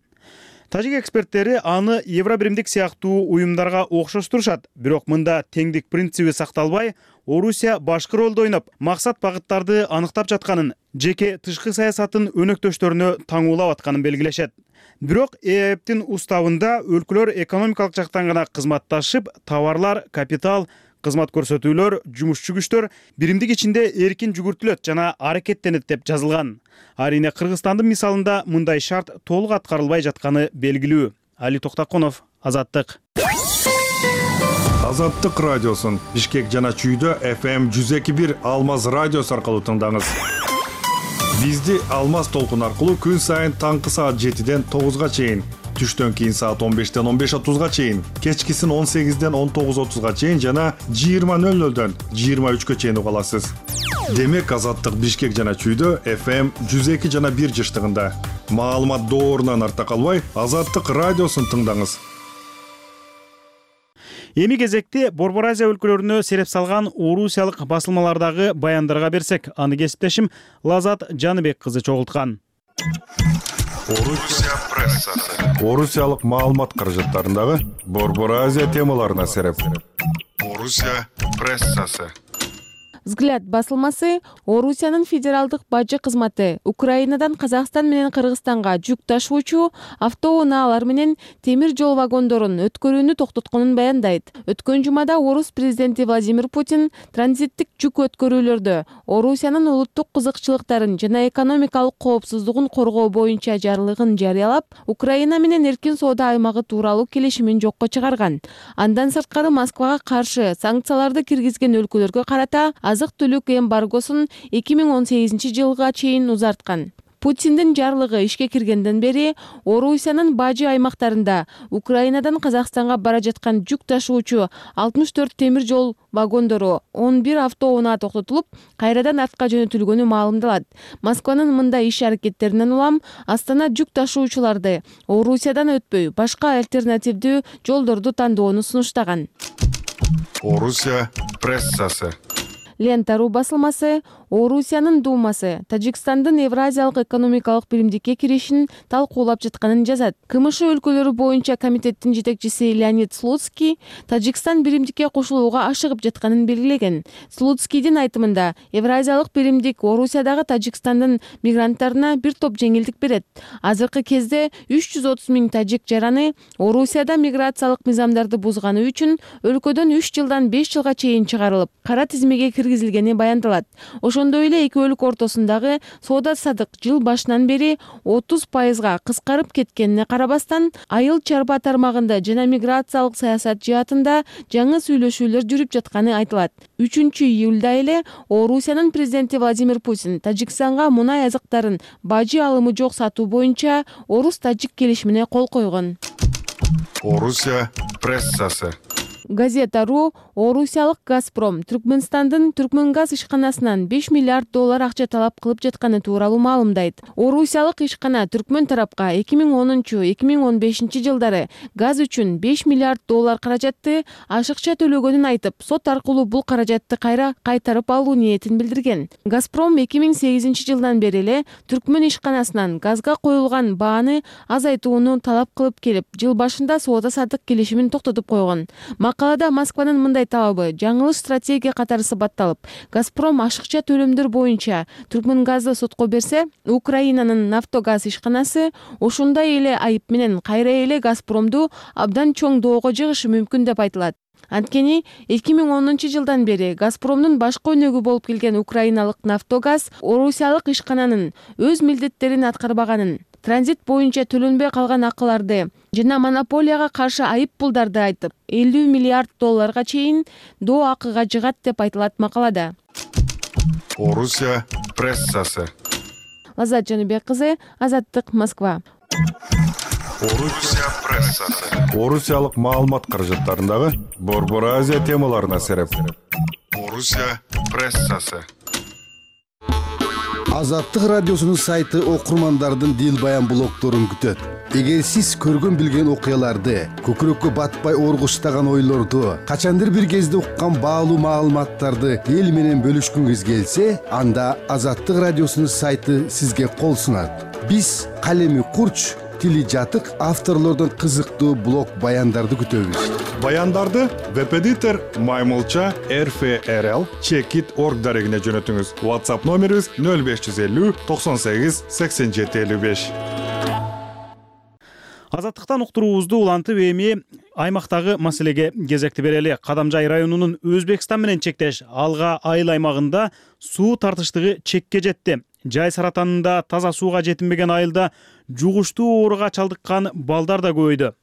Тажик эксперттери аны Евробиримдик сыяктуу уюмдарга окшоштурушат, бирок мында теңдик принциби сакталбай, Орусия башкы ролду ойноп, максат багыттарды аныктап жатканын, жеке тышкы саясатын өнөктөштөрүнө таңуулап атканын белгилешет. Бирок ЭЭПтин уставында өлкөлөр экономикалык жактан гана кызматташып, товарлар, капитал, кызмат көрсөтүүлөр, жумушчу күчтөр биримдик ичинде эркин жүгүртүлөт жана аракеттенет деп жазылган. Арине Кыргызстандын мисалында мындай шарт толук аткарылбай жатканы белгилүү. Али Токтакунов, Азаттык. Азаттык радиосун Бишкек жана Чүйдө FM 102.1 Алмаз радиосу аркылуу тыңдаңыз. Бизди Алмаз толкун аркылуу күн сайын таңкы саат 7ден 9га чейин, түштөн кийин саат 15ден 15:30га чейин, кечкисин 18ден 19:30га чейин жана 20:00дөн 23га чейин уга аласыз. Демек Азаттык Бишкек жана Чүйдө FM 102 жана 1 жыштыгында. Маалымат доорунан арта калбай, Азаттык радиосун тыңдаңыз. Эми кезекте Борбор Азия өлкөлөрүнө сереп салган орусиялык басылмалардагы баяндарга берсек, аны кесиптешим Лазат Жаныбек кызы чогулткан. Орусия прессасы. Орусиялык маалымат каражаттарындагы Борбор Азия темаларына сереп. Орусия прессасы. Взгляд басылмасы Орусиянын федералдык бажы кызматы Украинадан Казакстан менен Кыргызстанга жүк ташуучу автоунаалар менен темир жол вагондорун өткөрүүнү токтотконун баяндайт. Өткөн жумада Орус президенти Владимир Путин транзиттик жүк өткөрүүлөрдө Орусиянын улуттук кызыкчылыктарын жана экономикалык коопсуздугун коргоо боюнча жарлыгын жарыялап, Украина менен эркин соода аймагы тууралуу келишимин жокко чыгарган. Андан сырткары Москвага каршы санкцияларды киргизген өлкөлөргө карата азык-түлүк эмбаргосун 2018 жылга чейин узарткан. Путиндин жарлыгы ишке киргенден бери Орусиянын бажы аймактарында Украинадан Казакстанга бара жаткан жүк ташуучу 64 темир жол вагондору, 11 автоунаа токтотулуп, кайрадан артка жөнөтүлгөнү маалымдалат. Москванын мындай иш аракеттеринен улам Астана жүк ташуучуларды Орусиядан өтпөй, башка альтернативдүү жолдорду тандоону сунуштаган. Орусия прессасы. Лента.ру басылмасы Орусиянын Думасы Тажикстандын Евразиялык экономикалык биримдикке киришин талкуулап жатканын жазат. КМШ өлкөлөрү боюнча комитеттин жетекчиси Леонид Слуцкий Тажикстан биримдикке кошулууга ашыгып жатканын белгилеген. Слуцкийдин айтымында Евразиялык биримдик Орусиядагы Тажикстандын мигранттарына бир топ жеңилдик берет. Азыркы кезде 330 000 тажик жараны Орусияда миграциялык мыйзамдарды бузганы үчүн өлкөдөн 3 жылдан 5 жылга чейин чыгарылып, кара тизмеге киргизилгени баяндалат. Ошондой эле эки өлкө ортосундагы соода садык жыл башынан бери 30%га кыскарып кеткенине карабастан, айыл чарба тармагында жана миграциялык саясат жаатында жаңы сүйлөшүүлөр жүрүп жатканы айтылат. 3-июлда эле Орусиянын президенти Владимир Путин Тажикстанга мунай азыктарын бажы алымы жок сатуу боюнча Орус-Тажик келишимине кол койгон. Орусия прессасы. Газета.ру орусиялык Газпром Түркмөнстандын Түркмөнгаз ишканасынан 5 миллиард доллар акча талап кылып жатканы тууралуу маалымдайт. Орусиялык ишкана Түркмөн тарапка 2010-2015 жылдары газ үчүн 5 миллиард доллар каражатты ашыкча төлөгөнүн айтып, сот аркылуу бул каражатты кайра кайтарып алуу ниетин билдирген. Газпром 2008 жылдан бери эле Түркмөн ишканасынан газга коюлган бааны азайтууну талап кылып келип, жыл башында соода-саттык келишимин токтотуп койгон. Макалада Москванын мындай талабы жаңылыш стратегия катары сыпатталып, Газпром ашыкча төлөмдөр боюнча Түркмөнгазды сотко берсе, Украинанын Нафтогаз ишканасы ошондой эле айып менен кайра эле Газпромду абдан чоң доого жыгышы мүмкүн деп айтылат. Анткени 2010 жылдан бери Газпромдун башкы өнөгү болуп келген украиналык Нафтогаз орусиялык ишкананын өз милдеттерин аткарбаганын, транзит боюнча төлөнбөй калган акыларды жана монополияга каршы айып пулдарды айтып, 50 миллиард долларга чейин доо акыга жыгат деп айтылат макалада. Орусия прессасы. Лаззат Жаныбек кызы, Азаттык, Москва. Орусия прессасы. Орусиялык маалымат каражаттарындагы Борбор Азия темаларына сереп. Орусия прессасы. Азаттык радиосунун сайты окурмандардын дил баян блогдорун күтөт. Эгер сиз көргөн билген окуяларды, көкүрөккө батпай оргуштаган ойлорду, качандыр бир кезде уккан баалуу маалыматтарды эл менен бөлүшкүңүз келсе, анда Азаттык радиосунун сайты сизге кол сунат. Биз калеми курч, тили жатык авторлордун кызыктуу блог баяндарды күтөбүз. Баяндарды веб-эдитор Маймылча RFRL Checkit.org дарегине жөнөтүңүз. WhatsApp номерибиз 0550 98 87 55. Азаттыктан уктуруубузду улантып эми аймактагы маселеге кезекти берели. Кадамжай районунун Өзбекстан менен чектеш Алга айыл аймагында суу тартыштыгы чекке жетти. Жай саратанында таза сууга жетинбеген айылда жугуштуу ооруга чалдыккан балдар да көбөйдү.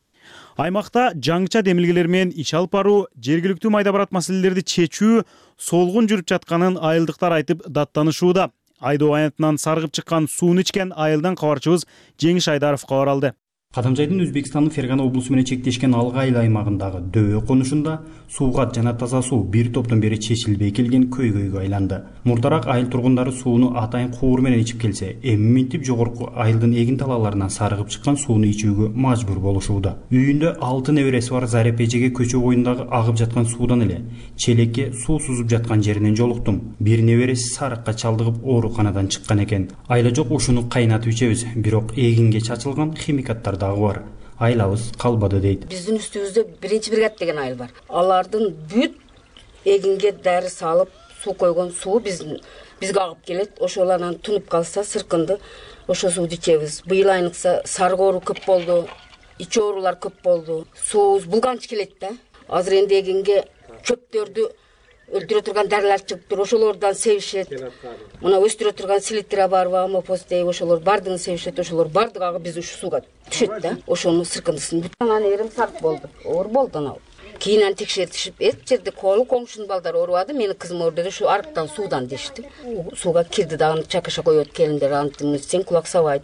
Аймакта жаңыча демилгелер менен иш алып баруу, жергиликтүү майда барат маселелерди чечүү солгун жүрүп жатканын айылдыктар айтып даттанышууда. Айдоо аянтынан саргып чыккан сууну ичкен айылдан кабарчыбыз Жеңиш Айдаров кабар алды. Кадамжайдын Өзбекстандын Фергана облусу менен чектешкен Алга айыл аймагындагы Дөбө конушунда сууга жана таза суу бир топтон бери чечилбей келген көйгөйгө айланды. Мурдараак айыл тургундары сууну атайын куур менен ичип келсе, эми минтип жогорку айылдын эгин талааларынан сарыгып чыккан сууну ичүүгө мажбур болушууда. Үйүндө 6 небереси бар Зареп эжеге көчө боюндагы агып жаткан суудан эле челекке суу сузуп жаткан жеринен жолуктум. Бир небереси сарыкка чалдыгып ооруканадан чыккан экен. Айла жок ушуну кайнатып ичебиз, бирок эгинге чачылган химикаттар бар. Айлабыз калбады дейт. Биздин үстүбүздө 1-бригада деген айыл бар. Алардын бүт эгинге дары салып суу койгон суу бизге агып келет. Ошолардан тунуп калса сыркынды ошо сууну ичебиз. Быйыл айныкса сарык оору көп болду, ич оорулар көп болду. Суубуз булганч келет да. Азыр энди эгинге чөптөрдү өлтүрө турган дарылар чыгыптыр, ошолордон себишет. Мына өстүрө турган селитра барбы, амофос дейби, ошолор бардыгын себишет, ошолор бардыгы биз ушу сууга түшөт да. Ошонун сыркындысын бүт анан эрим сарп болду. Оор болду анау. Кийинен текшертишип, эт жерде коңшунун балдары оорубады, менин кызым оорудо ушу арыктан суудан дешти. Сууга кирди дагы чакаша коет келиндер, антын кулак сабайт.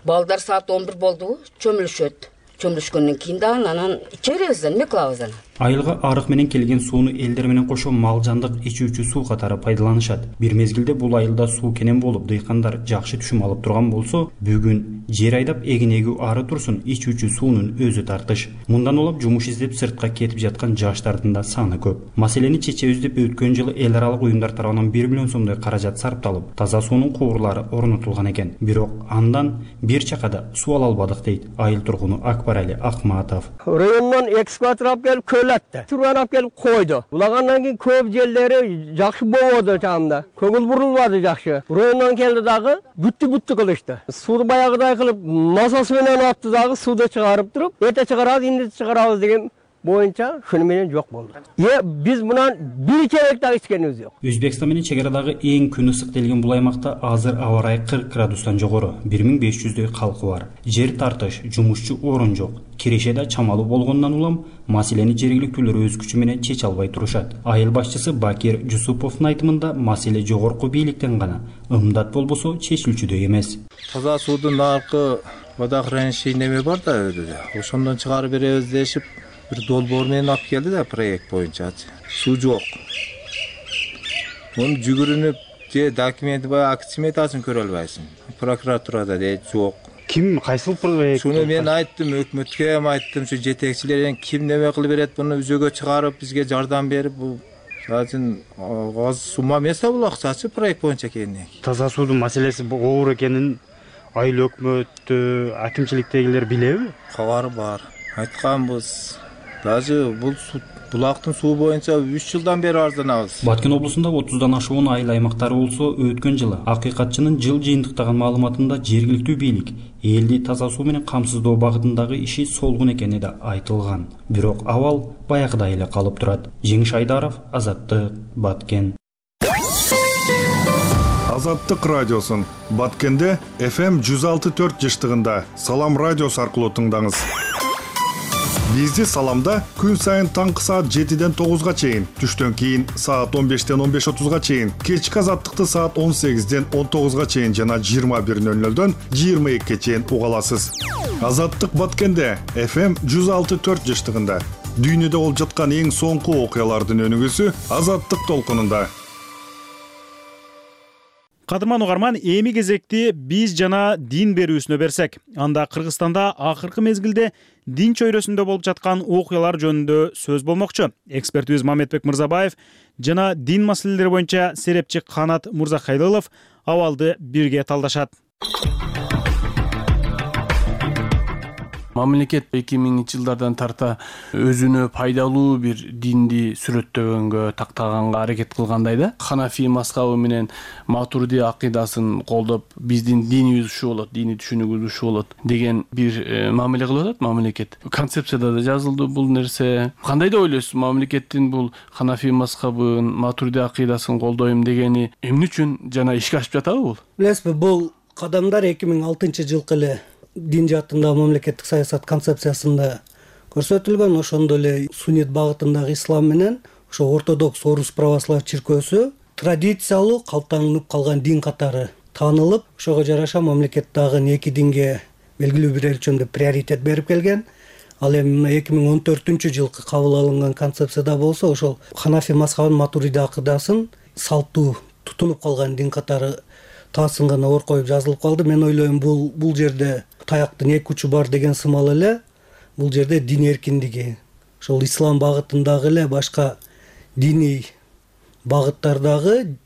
Балдар саат 11 болду, чөмүлүшөт. Чөмүлүшкөндөн кийин дагы анан иче беребиз, эме кылабыз анан. Айылга арык менен келген сууну элдер менен кошо малжандык ичүүчү суу катары пайдаланышат. Бир мезгилде бул айылда суу кенен болуп, дыйкандар жакшы түшүм алып турган болсо, бүгүн жер айдап эгин эгүү ары турсун, ичүүчү суунун өзү тартыш. Мындан улам жумуш издеп сыртка кетип жаткан жаштардын да саны көп. Маселени чечебиз деп өткөн жылы эл аралык уюмдар тарабынан 1 миллион сомдой каражат сарпталып, таза суунун куурлары орнотулган экен. Бирок андан бир чакада суу ала албадык дейт айыл тургуну Акбарали Акматов. Райондон экскаватор алып келип Турган алып келип койду. Улагандан кийин көп жерлери жакшы болбоду чамда. Көңүл бурулбады жакшы. Райондон келди дагы бүттү кылышты. Сууну баягыдай кылып масасы менен атты дагы сууду чыгарып туруп, эрте чыгарабыз, инде чыгарабыз деген боюнча шуну менен жок болду. Биз мынан бир чебек дагы ичкенибиз жок. Өзбекстан менен чегарадагы эң күн ысык делген бул аймакта азыр аба ырайы 40 градустан жогору, 1500дөй калкы бар. Жер тартыш, жумушчу орун жок. Кирешеде чамалуу болгондон улам маселени жергиликтүүлөр өз күчү менен чече албай турушат. Айыл башчысы Бакир Жусуповдун айтымында маселе жогорку бийликтен гана, ымдат болбосо чечилчүдөй эмес. Таза суудун наркы вода хранилище неме бар да, ошондон чыгарып беребиз дешип бир долбоор менен алып келди да проект боюнчачы. Суу жок. Муну жүгүрүнүп же документи баягы акт сметасын көрө албайсың. Прокуратурада дейт жок. Ким кайсыл проект? Шуну мен айттым, өкмөткө айттым, şu жетекчилерден ким неме кылып берет, буну үзөгө чыгарып, бизге жардам берип, бул азыр аз сумма эмес бул акчачы проект боюнча экени. Таза суудун маселеси оор экенин айыл өкмөттү, акимчиликтегилер билеби? Кабары бар. Айтканбыз. Даже бул булактын суу боюнча 3 жылдан бери арызданабыз. Баткен облусунда 30дан ашуун айыл аймактары болсо, өткөн жылы акыйкатчынын жыл жыйынтыктаган маалыматында жергиликтүү бийлик элди таза суу менен камсыздоо багытындагы иши солгун экени да айтылган. Бирок абал баягыдай эле калып турат. Жеңиш Айдаров, Азаттык, Баткен. Азаттык радиосун Баткенде FM 106.4 жыштыгында Салам радиосу аркылуу тыңдаңыз. Бизди Саламда күн сайын таңкы саат 7ден 9га чейин, түштөн кийин саат 15ден 15:30га чейин, кечки Азаттыкты саат 18ден 19га чейин жана 21:00дөн 22ге чейин уга аласыз. Азаттык Баткенде FM 106.4 жыштыгында дүйнөдө болуп жаткан эң соңку окуялардын өнүгүүсү Азаттык толкунунда. Кадырман угарман, эми кезекти биз жана дин берүүсүнө берсек. Анда Кыргызстанда акыркы мезгилде дин чөйрөсүндө болуп жаткан окуялар жөнүндө сөз болмокчу. Экспертибиз Мамедбек Мырзабаев жана дин маселелери боюнча серепчи Канат Мурзахайлылов абалды бирге талдашат. Мамлекет 2000 жылдардан тарта өзүнө пайдалуу бир динди сүрөттөгөнгө, тактаганга аракет кылгандай да. Ханафи мазхабы менен Матурди акыйдасын колдоп, биздин динибиз ушу болот, дини түшүнүгүбүз ушу болот деген бир мамиле кылып атат мамлекет. Концепцияда да жазылды бул нерсе. Кандай деп ойлойсуз, мамлекеттин бул Ханафи мазхабын, Матурди акыйдасын колдойм дегени эмне үчүн жана ишке ашып жатабы бул? Билесизби, бул кадамдар 2006-жылкы эле дин жаатындагы мамлекеттик саясат концепциясында көрсөтүлгөн. Ошондо эле суннит багытындагы ислам менен ошо ортодокс орус православ чиркөөсү традициялуу калыптанып калган дин катары таанылып, ошого жараша мамлекет дагы эки динге белгилүү бир өлчөмдө приоритет берип келген. Ал эми 2014-жылкы кабыл алынган концепцияда болсо, ошол Ханафи мазхабын, Матуриди акыдасын салттуу тутунуп калган дин катары таасын гана ор коюп жазылып калды. Мен ойлойм, бул жерде таяктын эки учу бар деген сымал эле. Бул жерде дин эркиндиги, ошол ислам багытындагы эле башка диний багыттардагы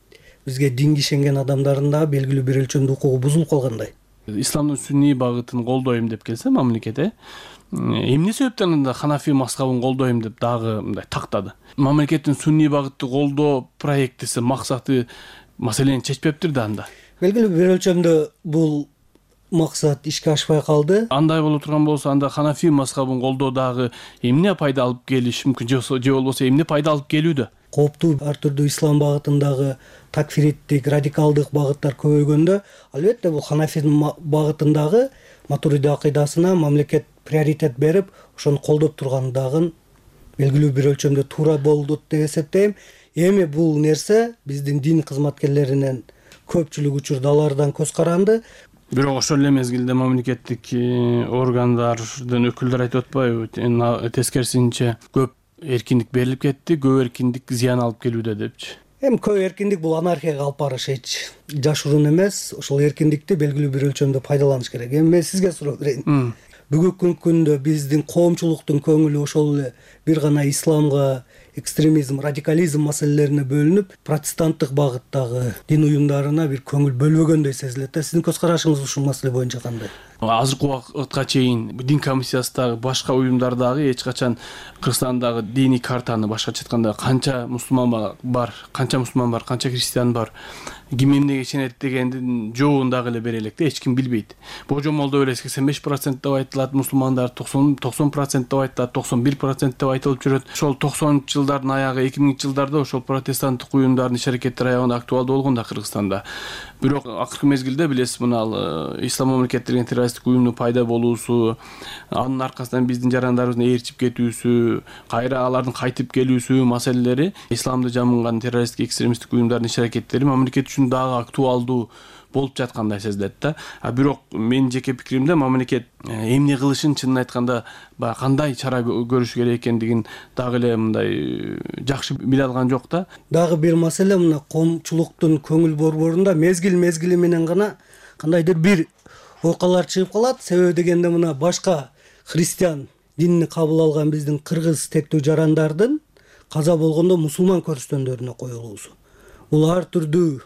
бизге динге ишенген адамдардын да белгилүү бир өлчөмдө укугу бузулуп калгандай. Исламдын сунний багытын колдойм деп келсе мамлекет, эмне себептен анда Ханафи мазхабын колдойм деп дагы мындай тактады? Мамлекеттин сунний багытты колдоо проектиси, максаты маселени чечпептир да анда. Белгилүү бир өлчөмдө бул максат ишке ашпай калды. Андай боло турган болсо, анда Ханафи мазхабын колдоо дагы эмне пайда алып келиши мүмкүн, же болбосо эмне пайда алып келүүдө? Кооптуу ар түрдүү ислам багытындагы такфириттик, радикалдык багыттар көбөйгөндө, албетте бул Ханафи багытындагы Матуриди акыйдасына мамлекет приоритет берип, ошону колдоп тургандыгын белгилүү бир өлчөмдө туура болду деп эсептейм. Эми бул нерсе биздин дин кызматкерлеринен көпчүлүк учурда алардан көз каранды. Бирок ошол эле мезгилде мамлекеттик органдардын өкүлдөрү айтып атпайбы, тескерисинче көп эркиндик берилип кетти, көп эркиндик зыян алып келүүдө депчи. Эми көп эркиндик бул анархияга алып барыш эч жашыруун эмес. Ошол эркиндикти белгилүү бир өлчөмдө пайдаланыш керек. Эми мен сизге суроо берейин. Бүгүнкү күндө биздин коомчулуктун көңүлү ошол эле бир гана исламга, экстремизм, радикализм маселелерине бөлүнүп, протестанттык багыттагы дин уюмдарына бир көңүл бөлбөгөндөй сезилет. Сиздин көз карашыңыз ушул маселе боюнча кандай? Азыркы убакытка чейин дин комиссиясындагы башка уюмдардагы эч качан Кыргызстандагы диний картаны башкача айтканда канча мусулман бар, канча христиан бар, ким эмнеге ишенет дегендин жообун дагы эле бере электе эч ким билбейт. Божомолдо эле 85% деп айтылат, мусулмандар 90% деп айтылат, 91% деп айтылып жүрөт. Ошол 90-ч жылдардын аягы, 2000-ч жылдарда ошол протестанттык уюмдардын иш-аракеттери аягында актуалдуу болгон да Кыргызстанда. Бирок акыркы мезгилде билесиз, мына ислам мамлекети деген террористтик уюмдун пайда болуусу, анын аркасынан биздин жарандарыбыздын ээрчип кетүүсү, кайра алардын кайтып келүүсү маселелери, исламды жамынган террористтик экстремисттик уюмдардын иш-аракеттери мамлекет үчүн дагы актуалдуу болуп жаткандай сезилет да. Бирок менин жеке пикиримде мамлекет эмне кылышын чынын айтканда баягы кандай чара көрүш керек экендигин дагы эле мындай жакшы биле алган жок да. Дагы бир маселе мына коомчулуктун көңүл борборунда мезгили менен гана кандайдыр бир окуялар чыгып калат. Себеби дегенде мына башка христиан динини кабыл алган биздин кыргыз тектүү жарандардын каза болгондо мусулман көрүстөндөрүнө коюлуусу. Бул ар түрдүү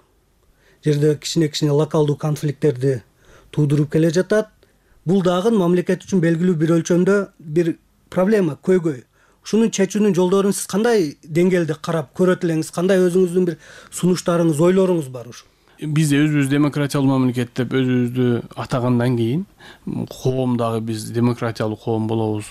жерде кичине локалдуу конфликттерди туудуруп келе жатат. Бул дагы мамлекет үчүн белгилүү бир өлчөмдө бир проблема, көйгөй. Ушунун чечүүнүн жолдорун сиз кандай деңгээлде карап көрөт элеңиз? Кандай өзүңүздүн бир сунуштарыңыз, ойлоруңуз бар ушу? Биз өзүбүз демократиялуу мамлекет деп өзүбүздү атагандан кийин коом дагы биз демократиялуу коом болобуз.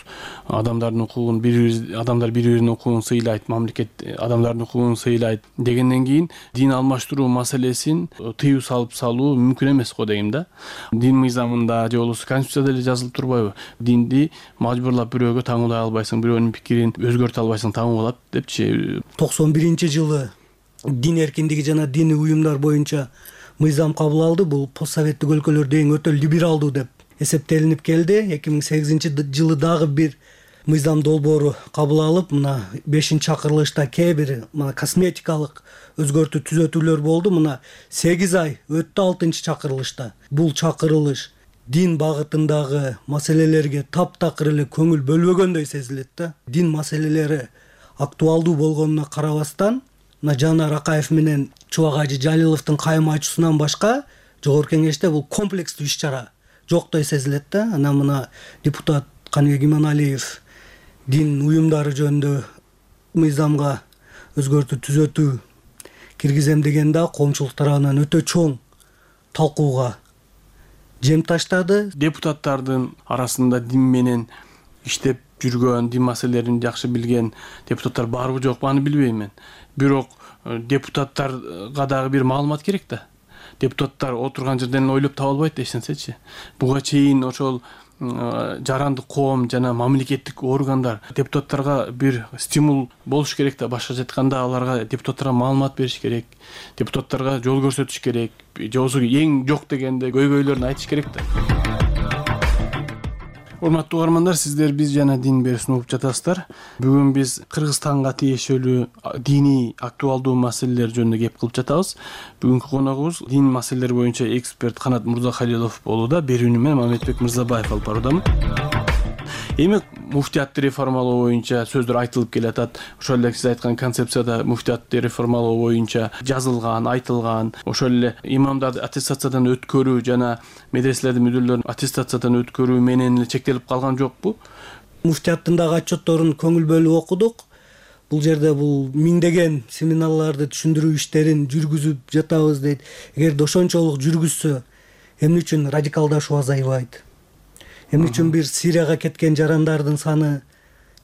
Адамдар бири-биринин укугун сыйлайт, мамлекет адамдардын укугун сыйлайт дегенден кийин дин алмаштыруу маселесин тыюу салуу мүмкүн эмес го дейм да. Дин мыйзамында же болбосо конституцияда эле жазылып турбайбы? Динди мажбурлап бирөөгө таңуулай албайсың, бирөөнүн пикирин өзгөртө албайсың, таңуулап депчи. 91-жылы дин эркиндиги жана диний уюмдар боюнча мыйзам кабыл алды. Бул постсоветтик өлкөлөрдө эң өтө либералдуу деп эсептелинип келди. 2008-жылы дагы бир мыйзам долбоору кабыл алып, мына 5-чакырылышта кээ бир косметикалык өзгөртүү түзөтүүлөр болду. Мына 8 ай өттү 6-чакырылышта. Бул чакырылыш дин багытындагы маселелерге таптакыр эле көңүл бөлбөгөндөй сезилет да. Дин маселелери актуалдуу болгонуна карабастан Жанар Акаев менен Чубак Ажы Жалиловдун кайым айтуусунан башка жогорку кеңеште бул комплекстүү иш-чара жоктой сезилет да. Анан мына депутат Каныбек Иманалиев дин уюмдары жөнүндө мыйзамга өзгөртүү түзөтүү киргизем дегенде коомчулук тарабынан өтө чоң талкууга жем таштады. Депутаттардын арасында дин менен иштеп жүргөн, дин маселелерин жакшы билген депутаттар барбы жокпу аны билбейм мен. Бирок депутаттарга дагы бир маалымат керек да. Депутаттар отурган жерден ойлоп таба албайт эч нерсечи. Буга чейин ошол жарандык коом жана мамлекеттик органдар депутаттарга бир стимул болуш керек да. Башкача айтканда аларга депутаттарга маалымат бериш керек, депутаттарга жол көрсөтүш керек, же болбосо эң жок дегенде көйгөйлөрүн айтыш керек да. Урматтуу угармандар, сиздер биз жана дин берүүсүн угуп жатасыздар. Бүгүн биз Кыргызстанга тиешелүү диний актуалдуу маселелер жөнүндө кеп кылып жатабыз. Бүгүнкү коногубуз дин маселелери боюнча эксперт Канат Мырзахалилов болууда. Берүүнү мен Мамедбек Мырзабаев алып баруудамын. Эми муфтиятты реформалоо боюнча сөздөр айтылып келатат. Ошол эле сиз айткан концепцияда муфтиятты реформалоо боюнча жазылган, айтылган, ошол эле имамдарды аттестациядан өткөрүү жана медреселердин мүдүрлөрүн аттестациядан өткөрүү менен эле чектелип калган жокпу? Муфтияттын дагы отчетторун көңүл бөлүп окудук. Бул жерде бул миңдеген семинарларды түшүндүрүү иштерин жүргүзүп жатабыз дейт. Эгерде ошончолук жүргүзсө, эмне үчүн радикалдашуу азайбайт? Эмне үчүн бир Сирияга кеткен жарандардын саны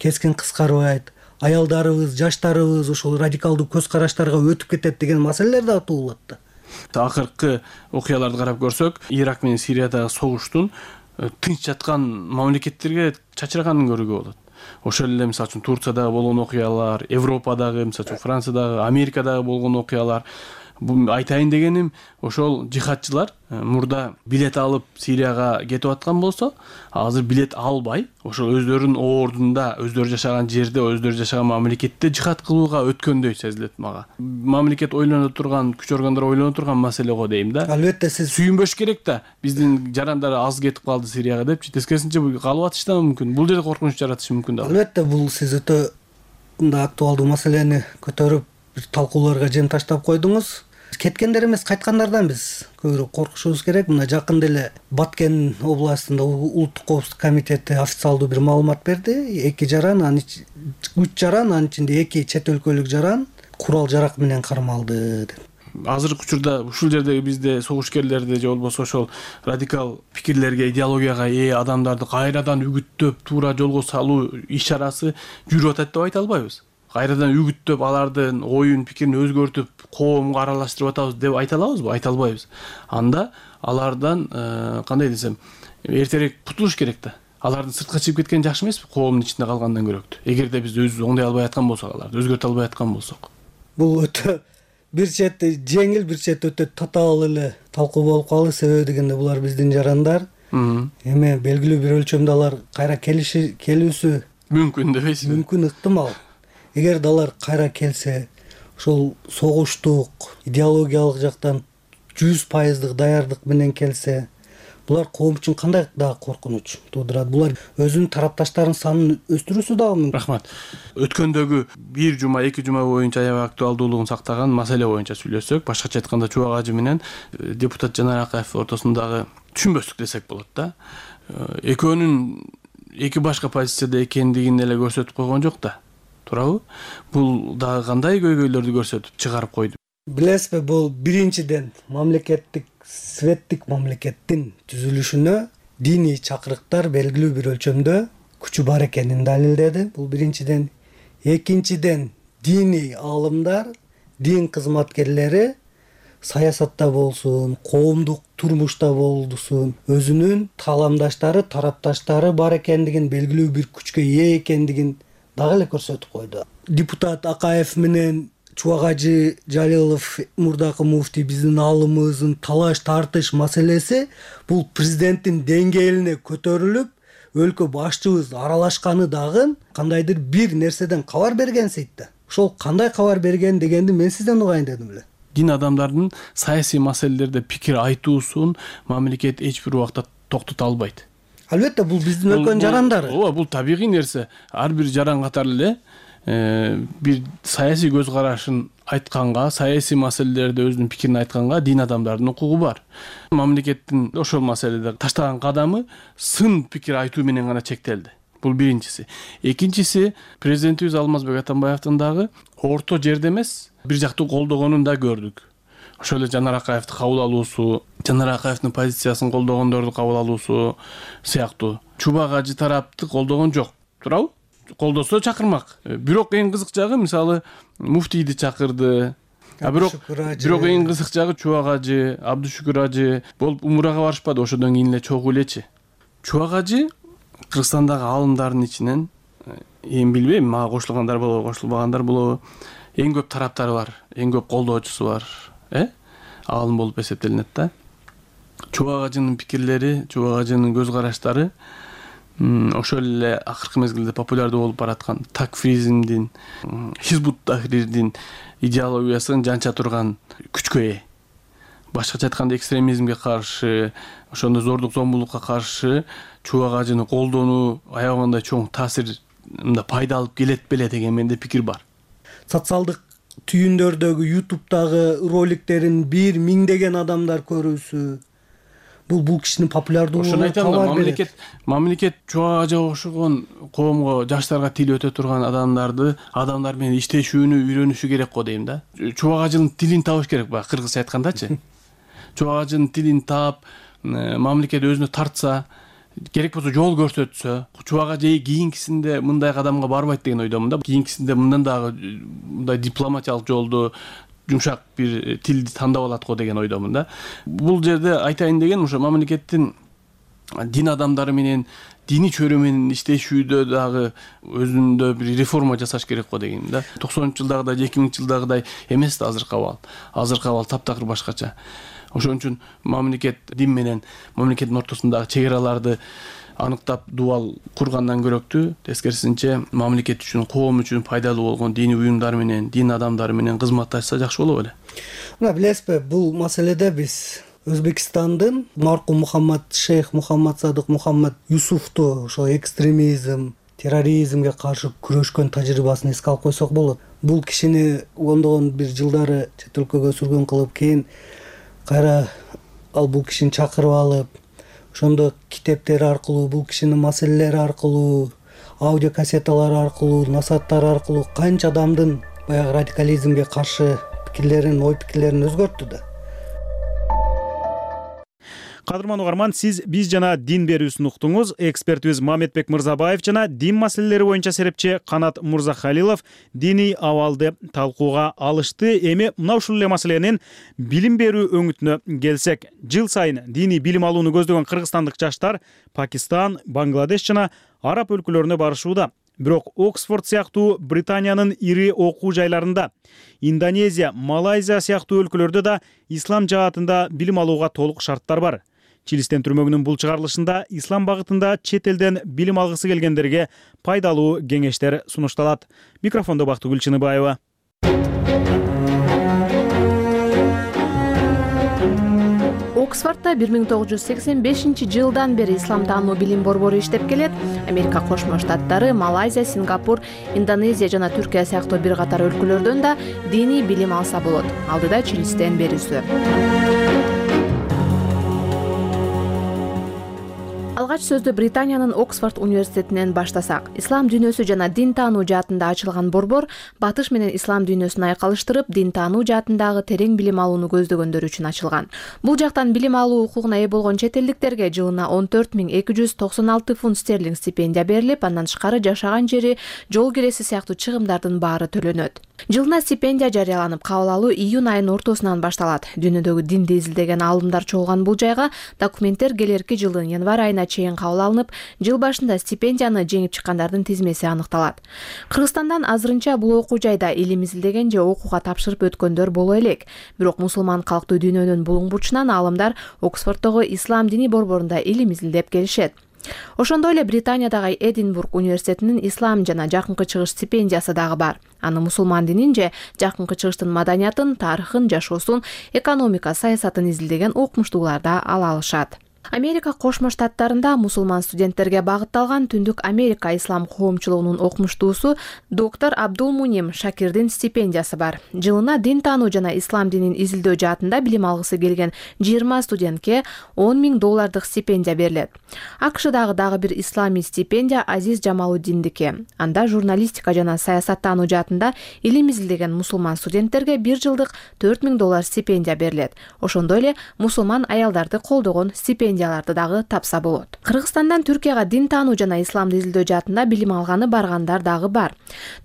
кескин кыскарбайт? Аялдарыбыз, жаштарыбыз ошол радикалдуу көз караштарга өтүп кетет деген маселелер да туулат да. Акыркы окуяларды карап көрсөк, Ирак менен Сириядагы согуштун тынч жаткан мамлекеттерге чачырганын көрүүгө болот. Ошол эле мисалы үчүн Турциядагы болгон окуялар, Европадагы, мисалы үчүн Франциядагы, Америкадагы болгон окуялар. Бул айтайын дегеним, ошол жихадчылар мурда билет алып Сирияга кетип аткан болсо, азыр билет албай, ошол өздөрүнүн ордунда, өздөрү жашаган жерде, өздөрү жашаган мамлекетте жихад кылууга өткөндөй сезилет мага. Мамлекет ойлоно турган, күч органдары ойлоно турган маселе го дейм да. Албетте сиз сүйүнбөш керек да. Биздин жарандар аз кетип калды Сирияга депчи. Тескерисинче калып атышы да мүмкүн. Бул жерде коркунуч жаратышы мүмкүн да. Албетте бул сиз өтө актуалдуу маселени көтөрүп талкууларга жем таштап койдуңуз. Кеткендер эмес, кайткандардан биз көбүрөөк коркушубуз керек. Мына жакында эле Баткен областында улуттук коопсуздук комитети официалдуу бир маалымат берди. 2 жаран, 3 жаран, анын ичинде 2 чет өлкөлүк жаран курал жарак менен кармалды деп. Азыркы учурда ушул жердеги бизде согушкерлерди же болбосо ошол радикал пикирлерге, идеологияга ээ адамдарды кайрадан үгүттөп, туура жолго салуу иш-чарасы жүрүп атат деп айта албайбыз. Кайрадан үгүттөп, алардын оюн, пикирин өзгөртүп, коомго аралаштырып атабыз деп айта алабызбы? Айта албайбыз. Анда алардан кандай десем, эртерээк кутулуш керек да. Алардын сыртка чыгып кеткени жакшы эмеспи? Коомдун ичинде калгандан көрөктү. Эгерде биз өзүбүз оңдой албай аткан болсок, аларды өзгөртө албай аткан болсок. Бул өтө бир чети жеңил, бир чети өтө татаал эле талкуу болуп калды. Себеби дегенде булар биздин жарандар. Эми белгилүү бир өлчөмдө алар кайра келүүсү мүмкүн дебейсизби? Мүмкүн, ыктымал. Эгер алар кайра келсе, ошол согуштук, идеологиялык жактан 100% даярдык менен келсе, булар коом үчүн кандай дагы коркунуч туудурат? Булар өзүнүн тарапташтарынын санын өстүрүүсү дагы мүмкүн. Рахмат. Өткөндөгү 1 жума, 2 жума боюнча аябай актуалдуулугун сактаган маселе боюнча сүйлөсөк, башкача айтканда Чубак ажы менен депутат Жанар Акаев ортосундагы түшүнбөстүк десек болот да. Экөөнүн эки башка позицияда экендигин эле көрсөтүп койгон жок да. Туурабы? Бул дагы кандай көйгөйлөрдү көрсөтүп чыгарып койду? Билесизби, бул биринчиден мамлекеттик светтик мамлекеттин түзүлүшүнө диний чакырыктар белгилүү бир өлчөмдө күчү бар экенин далилдеди. Бул биринчиден. Экинчиден, диний аалымдар, дин кызматкерлери саясатта болсун, коомдук турмушта болсун, өзүнүн кааламдаштары, тарапташтары бар экендигин, белгилүү бир күчкө ээ экендигин дагы эле көрсөтүп койду. Депутат Акаев менен Чубак ажы Жалилов, мурдакы муфтий, биздин аалымыбыздын талаш тартыш маселеси бул президенттин деңгээлине көтөрүлүп, өлкө башчыбыз аралашканы дагы кандайдыр бир нерседен кабар бергенсейт да. Ошол кандай кабар берген дегенди мен сизден угайын дедим эле. Дин адамдардын саясий маселелерде пикир айтуусун мамлекет эч бир убакта токтото албайт. Албетте, бул биздин өлкөнүн жарандары. Ооба, бул табигый нерсе. Ар бир жаран катары эле бир саясий көз карашын айтканга, саясий маселелерде өзүнүн пикирин айтканга дин адамдардын укугу бар. Мамлекеттин ошол маселеде таштаган кадамы сын пикир айтуу менен гана чектелди. Бул биринчиси. Экинчиси, президентибиз Алмазбек Атамбаевдин дагы орто жерде эмес, бир жактуу колдогонун да көрдүк. Ошол эле Жанар Акаевди кабыл алуусу, Жанар Акаевдин позициясын колдогондорду кабыл алуусу сыяктуу. Чубак ажы тарапты колдогон жок, туурабы? Колдосо чакырмак. Бирок эң кызык жагы, мисалы, муфтийди чакырды. Бирок эң кызык жагы Чубак ажы, Абдушүкүр ажы болуп умурага барышпады, ошодон кийин эле чогуу элечи. Чубак ажы Кыргызстандагы аалымдардын ичинен, эми билбейм, мага кошулгандар болобу, кошулбагандар болобу, эң көп тараптары бар, эң көп колдоочусу бар, аалым болуп эсептелинет да. Чубак ажынын пикирлери, Чубак ажынын көз караштары ошол эле акыркы мезгилде популярдуу болуп бараткан такфиризмдин, Хизбут тахрирдин идеологиясын жанча турган күчкө ээ. Башкача айтканда экстремизмге каршы, ошондой зордук зомбулукка каршы Чубак ажыны колдонуу аябагандай чоң таасир пайда алып келет беле деген менде пикир бар. Социалдык түйүндөрдөгү YouTube'дагы роликтерин 1000 адамдар көрүүсү, бул кишинин популярдуулугуна кабар берет. Мамлекет Чубак ажыга окшогон коомго, жаштарга тил өтө турган адамдар менен иштешүүнү үйрөнүшү керек го дейм да. Чубак ажынын тилин табыш керек, баягы кыргызча айткандачы. Чубак ажынын тилин таап, мамлекет өзүнө тартса, керек болсо жол көрсөтсө, Чубак ажы кийинкисинде мындай кадамга барбайт деген ойдомун да. Кийинкисинде мындан дагы мындай дипломатиялык жолду, жумшак бир тилди тандап алат го деген ойдомун да. Бул жерде айтайын деген, ошо мамлекеттин дин адамдары менен, диний чөйрө менен иштешүүдө дагы өзүндө бир реформа жасаш керек го деген да. 90-жылдагыдай, 2000-жылдагыдай эмес да азыркы абал. Азыркы абал таптакыр башкача. Ошон үчүн мамлекет дин менен мамлекеттин ортосундагы чек араларды аныктап дубал кургандан көрөктүү, тескерисинче мамлекет үчүн, коом үчүн пайдалуу болгон диний уюмдар менен, дин адамдары менен кызматташса жакшы болот эле. Мына билесизби, бул маселеде биз Өзбекстандын маркум шейх Мухаммад Садык Мухаммад Юсуфту ошо экстремизм, терроризмге каршы күрөшкөн тажрыйбасын эске алып койсок болот. Бул кишини ондогон бир жылдары чет өлкөгө сүргүн кылып, кийин кайра бул кишини чакырып алып, ошондо китептери аркылуу, бул кишинин маселелери аркылуу, аудио кассеталары аркылуу, насааттары аркылуу канча адамдын баягы радикализмге каршы пикирлерин, ой пикирлерин өзгөрттү да. Кадырман угарман, сиз биз жана дин берүүсүн уктуңуз. Экспертибиз Мамедбек Мырзабаев жана дин маселелери боюнча серепчи Канат Мурзахалилов диний абалды талкууга алышты. Эми мына ушул эле маселенин билим берүү өңүтүнө келсек, жыл сайын диний билим алууну көздөгөн кыргызстандык жаштар Пакистан, Бангладеш жана араб өлкөлөрүнө барышууда. Бирок Оксфорд сыяктуу Британиянын ири окуу жайларында, Индонезия, Малайзия сыяктуу өлкөлөрдө да ислам жаатында билим алууга толук шарттар бар. Чилистен түрмөгүнүн бул чыгарылышында ислам багытында чет элден билим алгысы келгендерге пайдалуу кеңештер сунушталат. Микрофондо Бактыгүл Чыныбаева. Оксфордто 1985-жылдан бери ислам таануу билим борбору иштеп келет. Америка Кошмо Штаттары, Малайзия, Сингапур, Индонезия жана Түркия сыяктуу бир катар өлкөлөрдөн да диний билим алса болот. Алдыда Чилистен берүүсү. Алгач сөздү Британиянын Оксфорд университетинен баштасак. Ислам дүйнөсү жана дин таануу жаатында ачылган борбор батыш менен ислам дүйнөсүн айкалыштырып, дин таануу жаатындагы терең билим алууну көздөгөндөр үчүн ачылган. Бул жактан билим алуу укугуна ээ болгон чет элдиктерге жылына 14.296 фунт стерлинг стипендия берилип, андан тышкары жашаган жери, жол киреси сыяктуу чыгымдардын баары төлөнөт. Жылына стипендия жарыяланып, кабыл алуу июнь айынын ортосунан башталат. Дүйнөдөгү динди изилдеген аалымдар чогулган бул жайга документтер келерки жылдын январь айына чейин кабыл алынып, жыл башында стипендияны жеңип чыккандардын тизмеси аныкталат. Кыргызстандан азырынча бул окуу жайда илим изилдеген же окууга тапшырып өткөндөр боло элек. Бирок мусулман калктуу дүйнөнүн булуң бурчунан аалымдар Оксфорддогу ислам дини борборунда илим изилдеп келишет. Ошондой эле Британиядагы Эдинбург университетинин ислам жана жакынкы чыгыш стипендиясы дагы бар. Аны мусулман динин же жакынкы чыгыштын маданиятын, тарыхын, жашоосун, экономика, саясатын изилдеген окумуштуулар да ала алышат. Америка Кошмо Штаттарында мусулман студенттерге багытталган Түндүк Америка ислам коомчулугунун окумуштуусу доктор Абдулмуним Шакирдин стипендиясы бар. Жылына дин таануу жана ислам динин изилдөө жаатында билим алгысы келген 20 студентке $10,000 стипендия берилет. АКШдагы дагы бир исламий стипендия Азиз Жамалуддиндики. Анда журналистика жана саясаттануу жаатында илим изилдеген мусулман студенттерге 1 жылдык $4,000 стипендия берилет. Ошондой эле мусулман аялдарды колдогон стипендияларды дагы тапса болот. Кыргызстандан Түркияга дин таануу жана исламды изилдөө жаатында билим алганы баргандар дагы бар.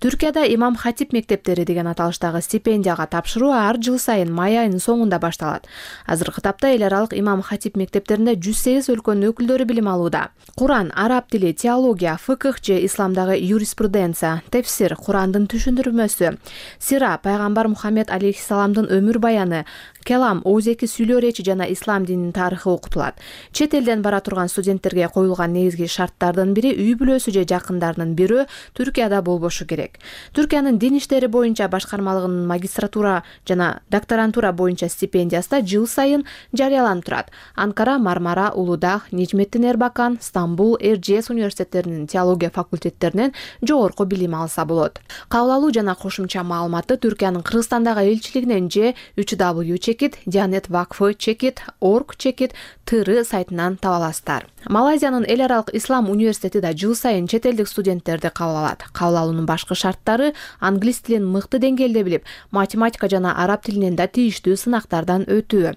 Түркияда имам хатип мектептери деген аталыштагы стипендияга тапшыруу ар жыл сайын май айынын соңунда башталат. Азыркы тапта эл аралык имам хатип мектептеринде 108 өлкөнүн өкүлдөрү билим алууда. Куран, араб тили, теология, фыкых же исламдагы юриспруденция, тефсир, Курандын түшүндүрмөсү, сира, пайгамбар Мухаммед алейхиссаламдын өмүр баяны, келам, оозеки сүйлөө речи жана ислам дининин тарыхы окутулат. Чет элден бара турган студенттерге коюлган негизги шарттардын бири үй бүлөсү же жакындарынын бирөө Түркияда болбошу керек. Түркиянын дин иштери боюнча башкармалыгынын магистратура жана докторантура боюнча стипендиясы да жыл сайын жарыяланып турат. Анкара, Мармара, Улудах, Нижметдин Эрбакан, Стамбул, Эржес университеттеринин теология факультеттеринен жогорку билим алса болот. Кабыл алуу жана кошумча маалыматты Түркиянын Кыргызстандагы элчилигинен же www чекит, Дианет Вакфы чекит, org чекит, тыры сайтынан таба аласыздар. Малайзиянын эл аралык ислам университети да жыл сайын чет элдик студенттерди кабыл алат. Кабыл алуунун башкы шарттары англис тилин мыкты деңгээлде билип, математика жана араб тилинен да тийиштүү сынактардан өтүү.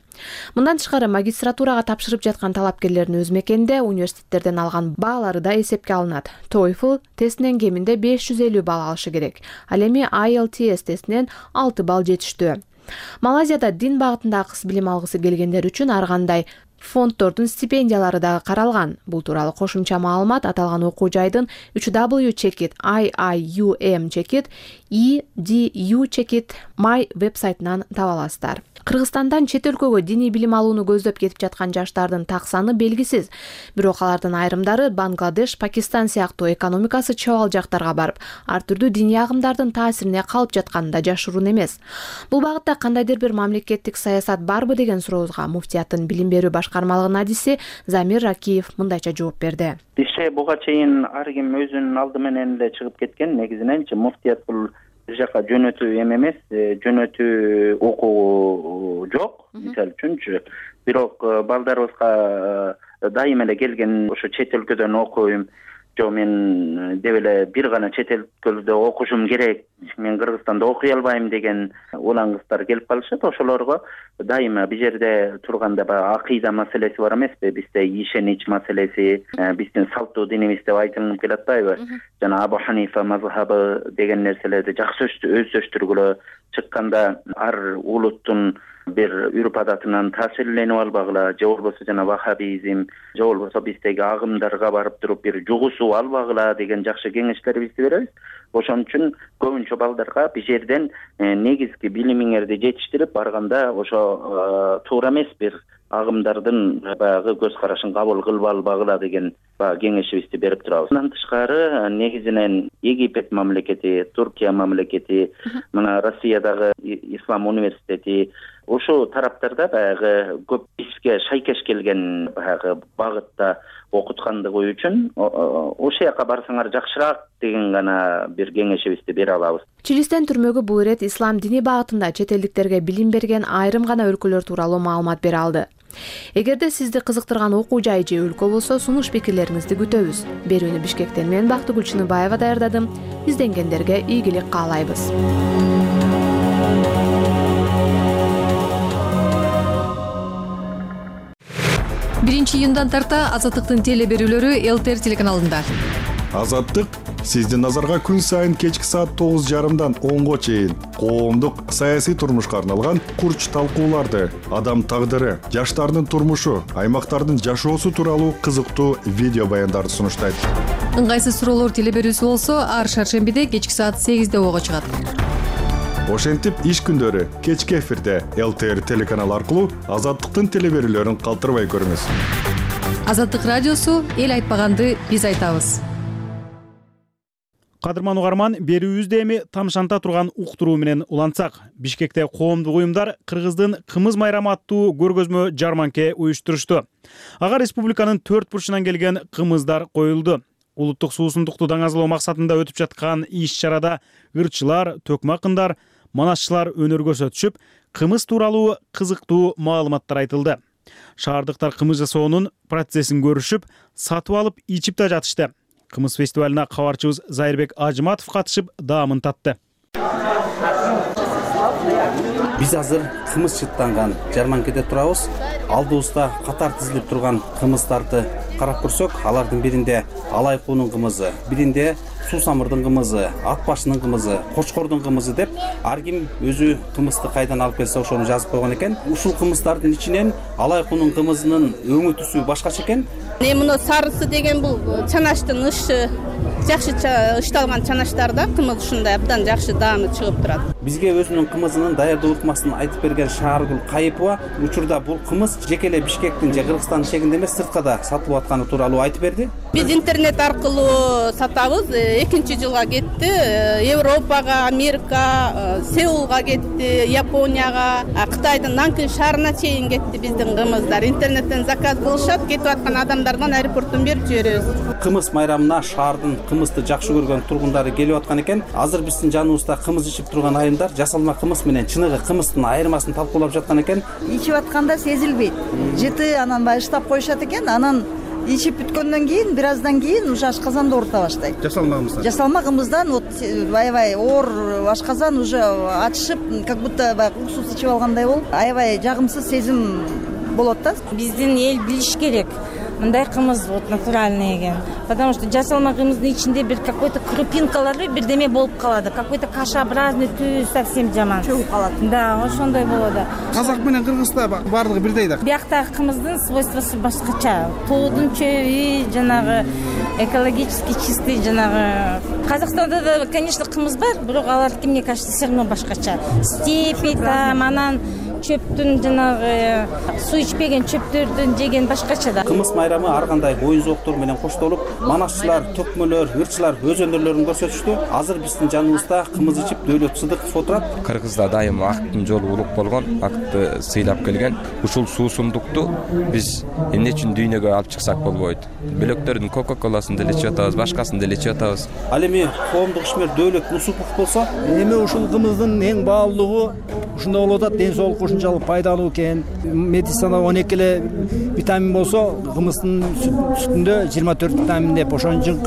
Мындан тышкары магистратурага тапшырып жаткан талапкерлердин өз мекенинде университеттерден алган баалары да эсепке алынат. TOEFL тестинен кеминде 550 балл алышы керек. Ал эми IELTS тестинен 6 балл жетиштүү. Малайзияда дин багытында кыз билим алгысы келгендер үчүн ар кандай фонддордун стипендиялары дагы каралган. Бул тууралуу кошумча маалымат аталган окуу жайдын www чекит, IIUM чекит, EDU чекит, my вебсайтынан таба аласыздар. Кыргызстандан чет өлкөгө диний билим алууну көздөп кетип жаткан жаштардын так саны белгисиз. Бирок алардын айрымдары Бангладеш, Пакистан сыяктуу экономикасы чабал жактарга барып, ар түрдүү диний агымдардын таасирине калып жатканы да жашыруун эмес. Бул багытта кандайдыр бир мамлекеттик саясат барбы деген сурообузга муфтияттын билим берүү башкармалыгынын адиси Замир Ракиев мындайча жооп берди. Бизче буга чейин ар ким өзүнүн алды менен эле чыгып кеткен. Негизиненчи муфтият бул бир жака жөнөтүү эмес, жөнөтүү окуу жок. Мисалы үчүнчү, бирок балдарыбызга дайыма эле келген ошо чет өлкөдөн окуйм, жок мен деп эле бир гана чет өлкөдө окушум керек, мен Кыргызстанда окуй албайм деген улан кыздар келип калышат. Ошолорго дайыма бул жерде турганда баягы акыйда маселеси бар эмеспи, бизде ишенич маселеси, биздин салттуу динибиз деп айтылып келатпайбы? Жана Абу Ханифа мазхабы деген нерселерди жакшы өздөштүргүлө, чыкканда ар улуттун бир үрп адатынан таасирленип албагыла, же болбосо жана ваххабизм, же болбосо биздеги агымдарга барып туруп бир жугусуп албагыла деген жакшы кеңештерибизди беребиз. Ошон үчүн көбүнчө балдарга бир жерден негизги билимиңерди жетиштирип барганда ошо туура эмес бир агымдардын баягы көз карашын кабыл кылып албагыла деген кеңешибизди берип турабыз. Андан тышкары негизинен Египет мамлекети, Туркия мамлекети, мына Россиядагы Ислам университети ошол тараптарда баягы көп бизге шайкеш келген баягы багытта окуткандыгы үчүн ошол жака барсаңар жакшыраак деген гана бир кеңешибизди бере алабыз. Чилистен түрмөгө бул ирет ислам дини багытында чет элдиктерге билим берген айрым гана өлкөлөр тууралуу маалымат бере алды. Эгерде сизди кызыктырган окуу жай же өлкө болсо, сунуш пикирлериңизди күтөбүз. Берүүнү Бишкектен мен Бактыгүл Чыныбаева даярдадым. Изденгендерге ийгилик каалайбыз. 1-июндан тарта Азаттыктын теле берүүлөрү ЛТР телеканалында. Азаттык сиздин назарга күн сайын кечки саат 9:30 10-го чейин коомдук саясий турмушка арналган курч талкууларды, адам тагдыры, жаштардын турмушу, аймактардын жашоосу тууралуу кызыктуу видео баяндарды сунуштайт. Ыңгайсыз суроолор теле берүүсү болсо, ар шаршембиде кечки саат 8-де ого чыгат. Ошентип иш күндөрү кечки эфирде ЛТР телеканалы аркылуу Азаттыктын теле берүүлөрүн калтырбай көрүңүз. Азаттык радиосу эл айтпаганды биз айтабыз. Кадырман угарман, берүүбүздө эми тамшанта турган уктуруу менен улантсак. Бишкекте коомдук уюмдар Кыргыздын кымыз майрамы аттуу көргөзмө жарманке уюштурушту. Ага республиканын 4 бурчунан келген кымыздар коюлду. Улуттук суусундукту даңазалоо максатында өтүп жаткан иш-чарада ырчылар, төкмө акындар, манасчылар өнөр көрсөтүшүп, кымыз тууралуу кызыктуу маалыматтар айтылды. Шаардыктар кымыз жасоонун процессин көрүшүп, сатып алып ичип да жатышты. Кымыз фестивалына кабарчыбыз Зайырбек Ажыматов катышып, даамын татты. Биз азыр кымыз чыттанган жарманкеде турабыз. Алдыбызда катар тизилип турган кымыздарды карап көрсөк, алардын биринде алай куунун кымызы, биринде суу самырдын кымызы, ат башынын кымызы, кочкордун кымызы деп ар ким өзү кымызды кайдан алып келсе ошону жазып койгон экен. Ушул кымыздардын ичинен алай куунун кымызынын өңү түсү башкача экен. Муну сарысы деген бул чанаштын ышы, жакшы ышталган чанаштар да кымыз ушундай абдан жакшы даамы чыгып турат. Бизге өзүнүн кымызынын даярдоо ыкмасын айтып берген Шааргүл Кайыпова учурда бул кымыз жеке эле Бишкектин же Кыргызстандын чегинде эмес, сыртка да сатылып атканы тууралуу айтып берди. Биз интернет аркылуу сатабыз. 2-жылга кетти. Европага, Америка, Сеулга кетти, Японияга, Кытайдын Нанкин шаарына чейин кетти биздин кымыздар. Интернеттен заказ кылышат, кетип аткан адамдардан аэропорттон берип жиберебиз. Кымыз майрамына шаардын кымызды жакшы көргөн тургундары келип аткан экен. Азыр биздин жаныбызда кымыз ичип турган айымдар жасалма кымыз менен чыныгы кымыздын айырмасын талкуулап жаткан экен. Ичип атканда сезилбейт. Жыты анан баягы ыштап коюшат экен, анан ичип бүткөндөн кийин бир аздан кийин уже ашказанда оорута баштайт. Жасалма кымыздан. Жасалма кымыздан вот аябай оор ашказан уже ачышып, как будто баягы уксус ичип алгандай болуп, аябай жагымсыз сезим болот да. Биздин эл билиш керек. Мындай кымыз вот натуральный экен. Потому что жасалма кымыздын ичинде бир какой-то крупинкалар бирдеме болуп калат. Какой-то кашеобразный түз совсем жаман. Чөгүп калат. Да, ошондой болот. Казак менен Кыргызда бардыгы бирдей да. Бияктагы кымыздын свойствосу башкача. Тоодун чөбү, жанагы экологически чистый, жанагы. Казакстанда да, конечно, кымыз бар, бирок алардыкы мне кажется все равно башкача. Степи там, анан чөптүн жанагы суу ичпеген чөптөрдүн жеген башкача да. Кымыз майрамы ар кандай оюн зооктор менен коштолуп, манасчылар, төкмөлөр, ырчылар өз өнөрлөрүн көрсөтүштү. Азыр биздин жаныбызда кымыз ичип Дөөлөт Сыдыков отурат. Кыргызда дайым акттын жолу улук болгон, акты сыйлап келген. Ушул суусундукту биз эмне үчүн дүйнөгө алып чыксак болбойт. Бөлөктөрдүн Кока-Коласын деле ичип атабыз, башкасын деле ичип атабыз. Ал эми коомдук ишмер Дөөлөт Нусупов болсо, эми ушул кымыздын эң баалуулугу ушундай болуп атат, ден соолукка ушунчалык пайдалуу экен. Медицинада 12 эле витамин болсо, кымыздын сүтүндө 24 витамин деп, ошон үчүн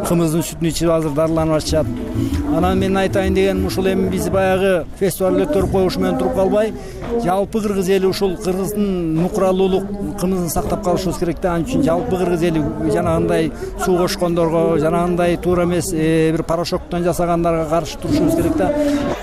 кымыздын сүтүн ичип азыр дарыланып атышат. Анан мен айтайын деген, ушул эми биз баягы фестиваль өткөрүп коюш менен туруп калбай, жалпы кыргыз эли ушул кыргыздын нукуралуулук кымызын сактап калышыбыз керек да. Ал үчүн жалпы кыргыз эли жанагындай суу кошкондорго, жанагындай туура эмес бир порошоктон жасагандарга каршы турушубуз керек да.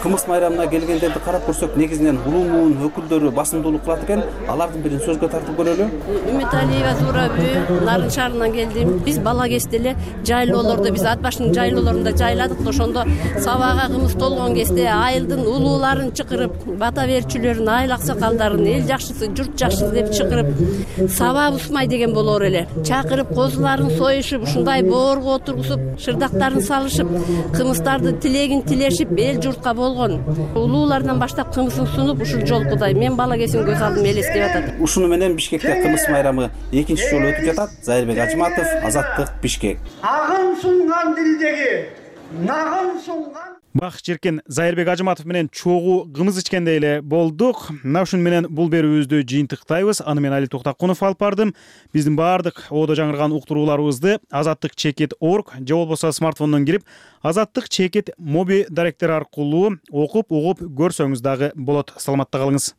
Кымыз майрамына келгендерди карап көрсөк, негизинен улуумун өкүлдөрү басымдуулук кылат экен. Алардын бирин сөзгө тартып көрөлү. Үмүталиева Зурабү, Нарын шаарынан келдим. Биз бала кезде эле жайлоолордо, биз Ат башынын жайлоолорунда жайладык. Ошондо сабага кымыз толгон кезде айылдын улууларын чакырып, бата берчүлөрүн, айыл аксакалдарын, эл жакшысы, журт жакшысы деп чакырып, саба бузмай деген болор эле. Чакырып, козуларын союшуп, ушундай боорго отургузуп, шырдактарын салышып, кымыздарды тилегин тилешип, эл журтка болгон. Улуулардан баштап кымызын сунуп, ушул жолкудай мен бала кезим көз алдым элестеп атат. Ушуну менен Бишкекте кымыз майрамы экинчи жолу өтүп жатат. Зайырбек Ажыматов, Азаттык, Бишкек. Агын сунган дилдеги, нагын сунган. Бак Жеркен Зайырбек Ажыматов менен чогуу кымыз ичкендей эле болдук. Мына ушун менен бул берүүбүздү жыйынтыктайбыз. Аны мен Али Токтакунов алып бардым. Биздин баардык оодо жаңырган уктурууларыбызды azattikcheket.org же болбосо смартфондон кирип Азаттык Чекит моби даректер аркылуу окуп, угуп көрсөңүз дагы болот. Саламатта калыңыз.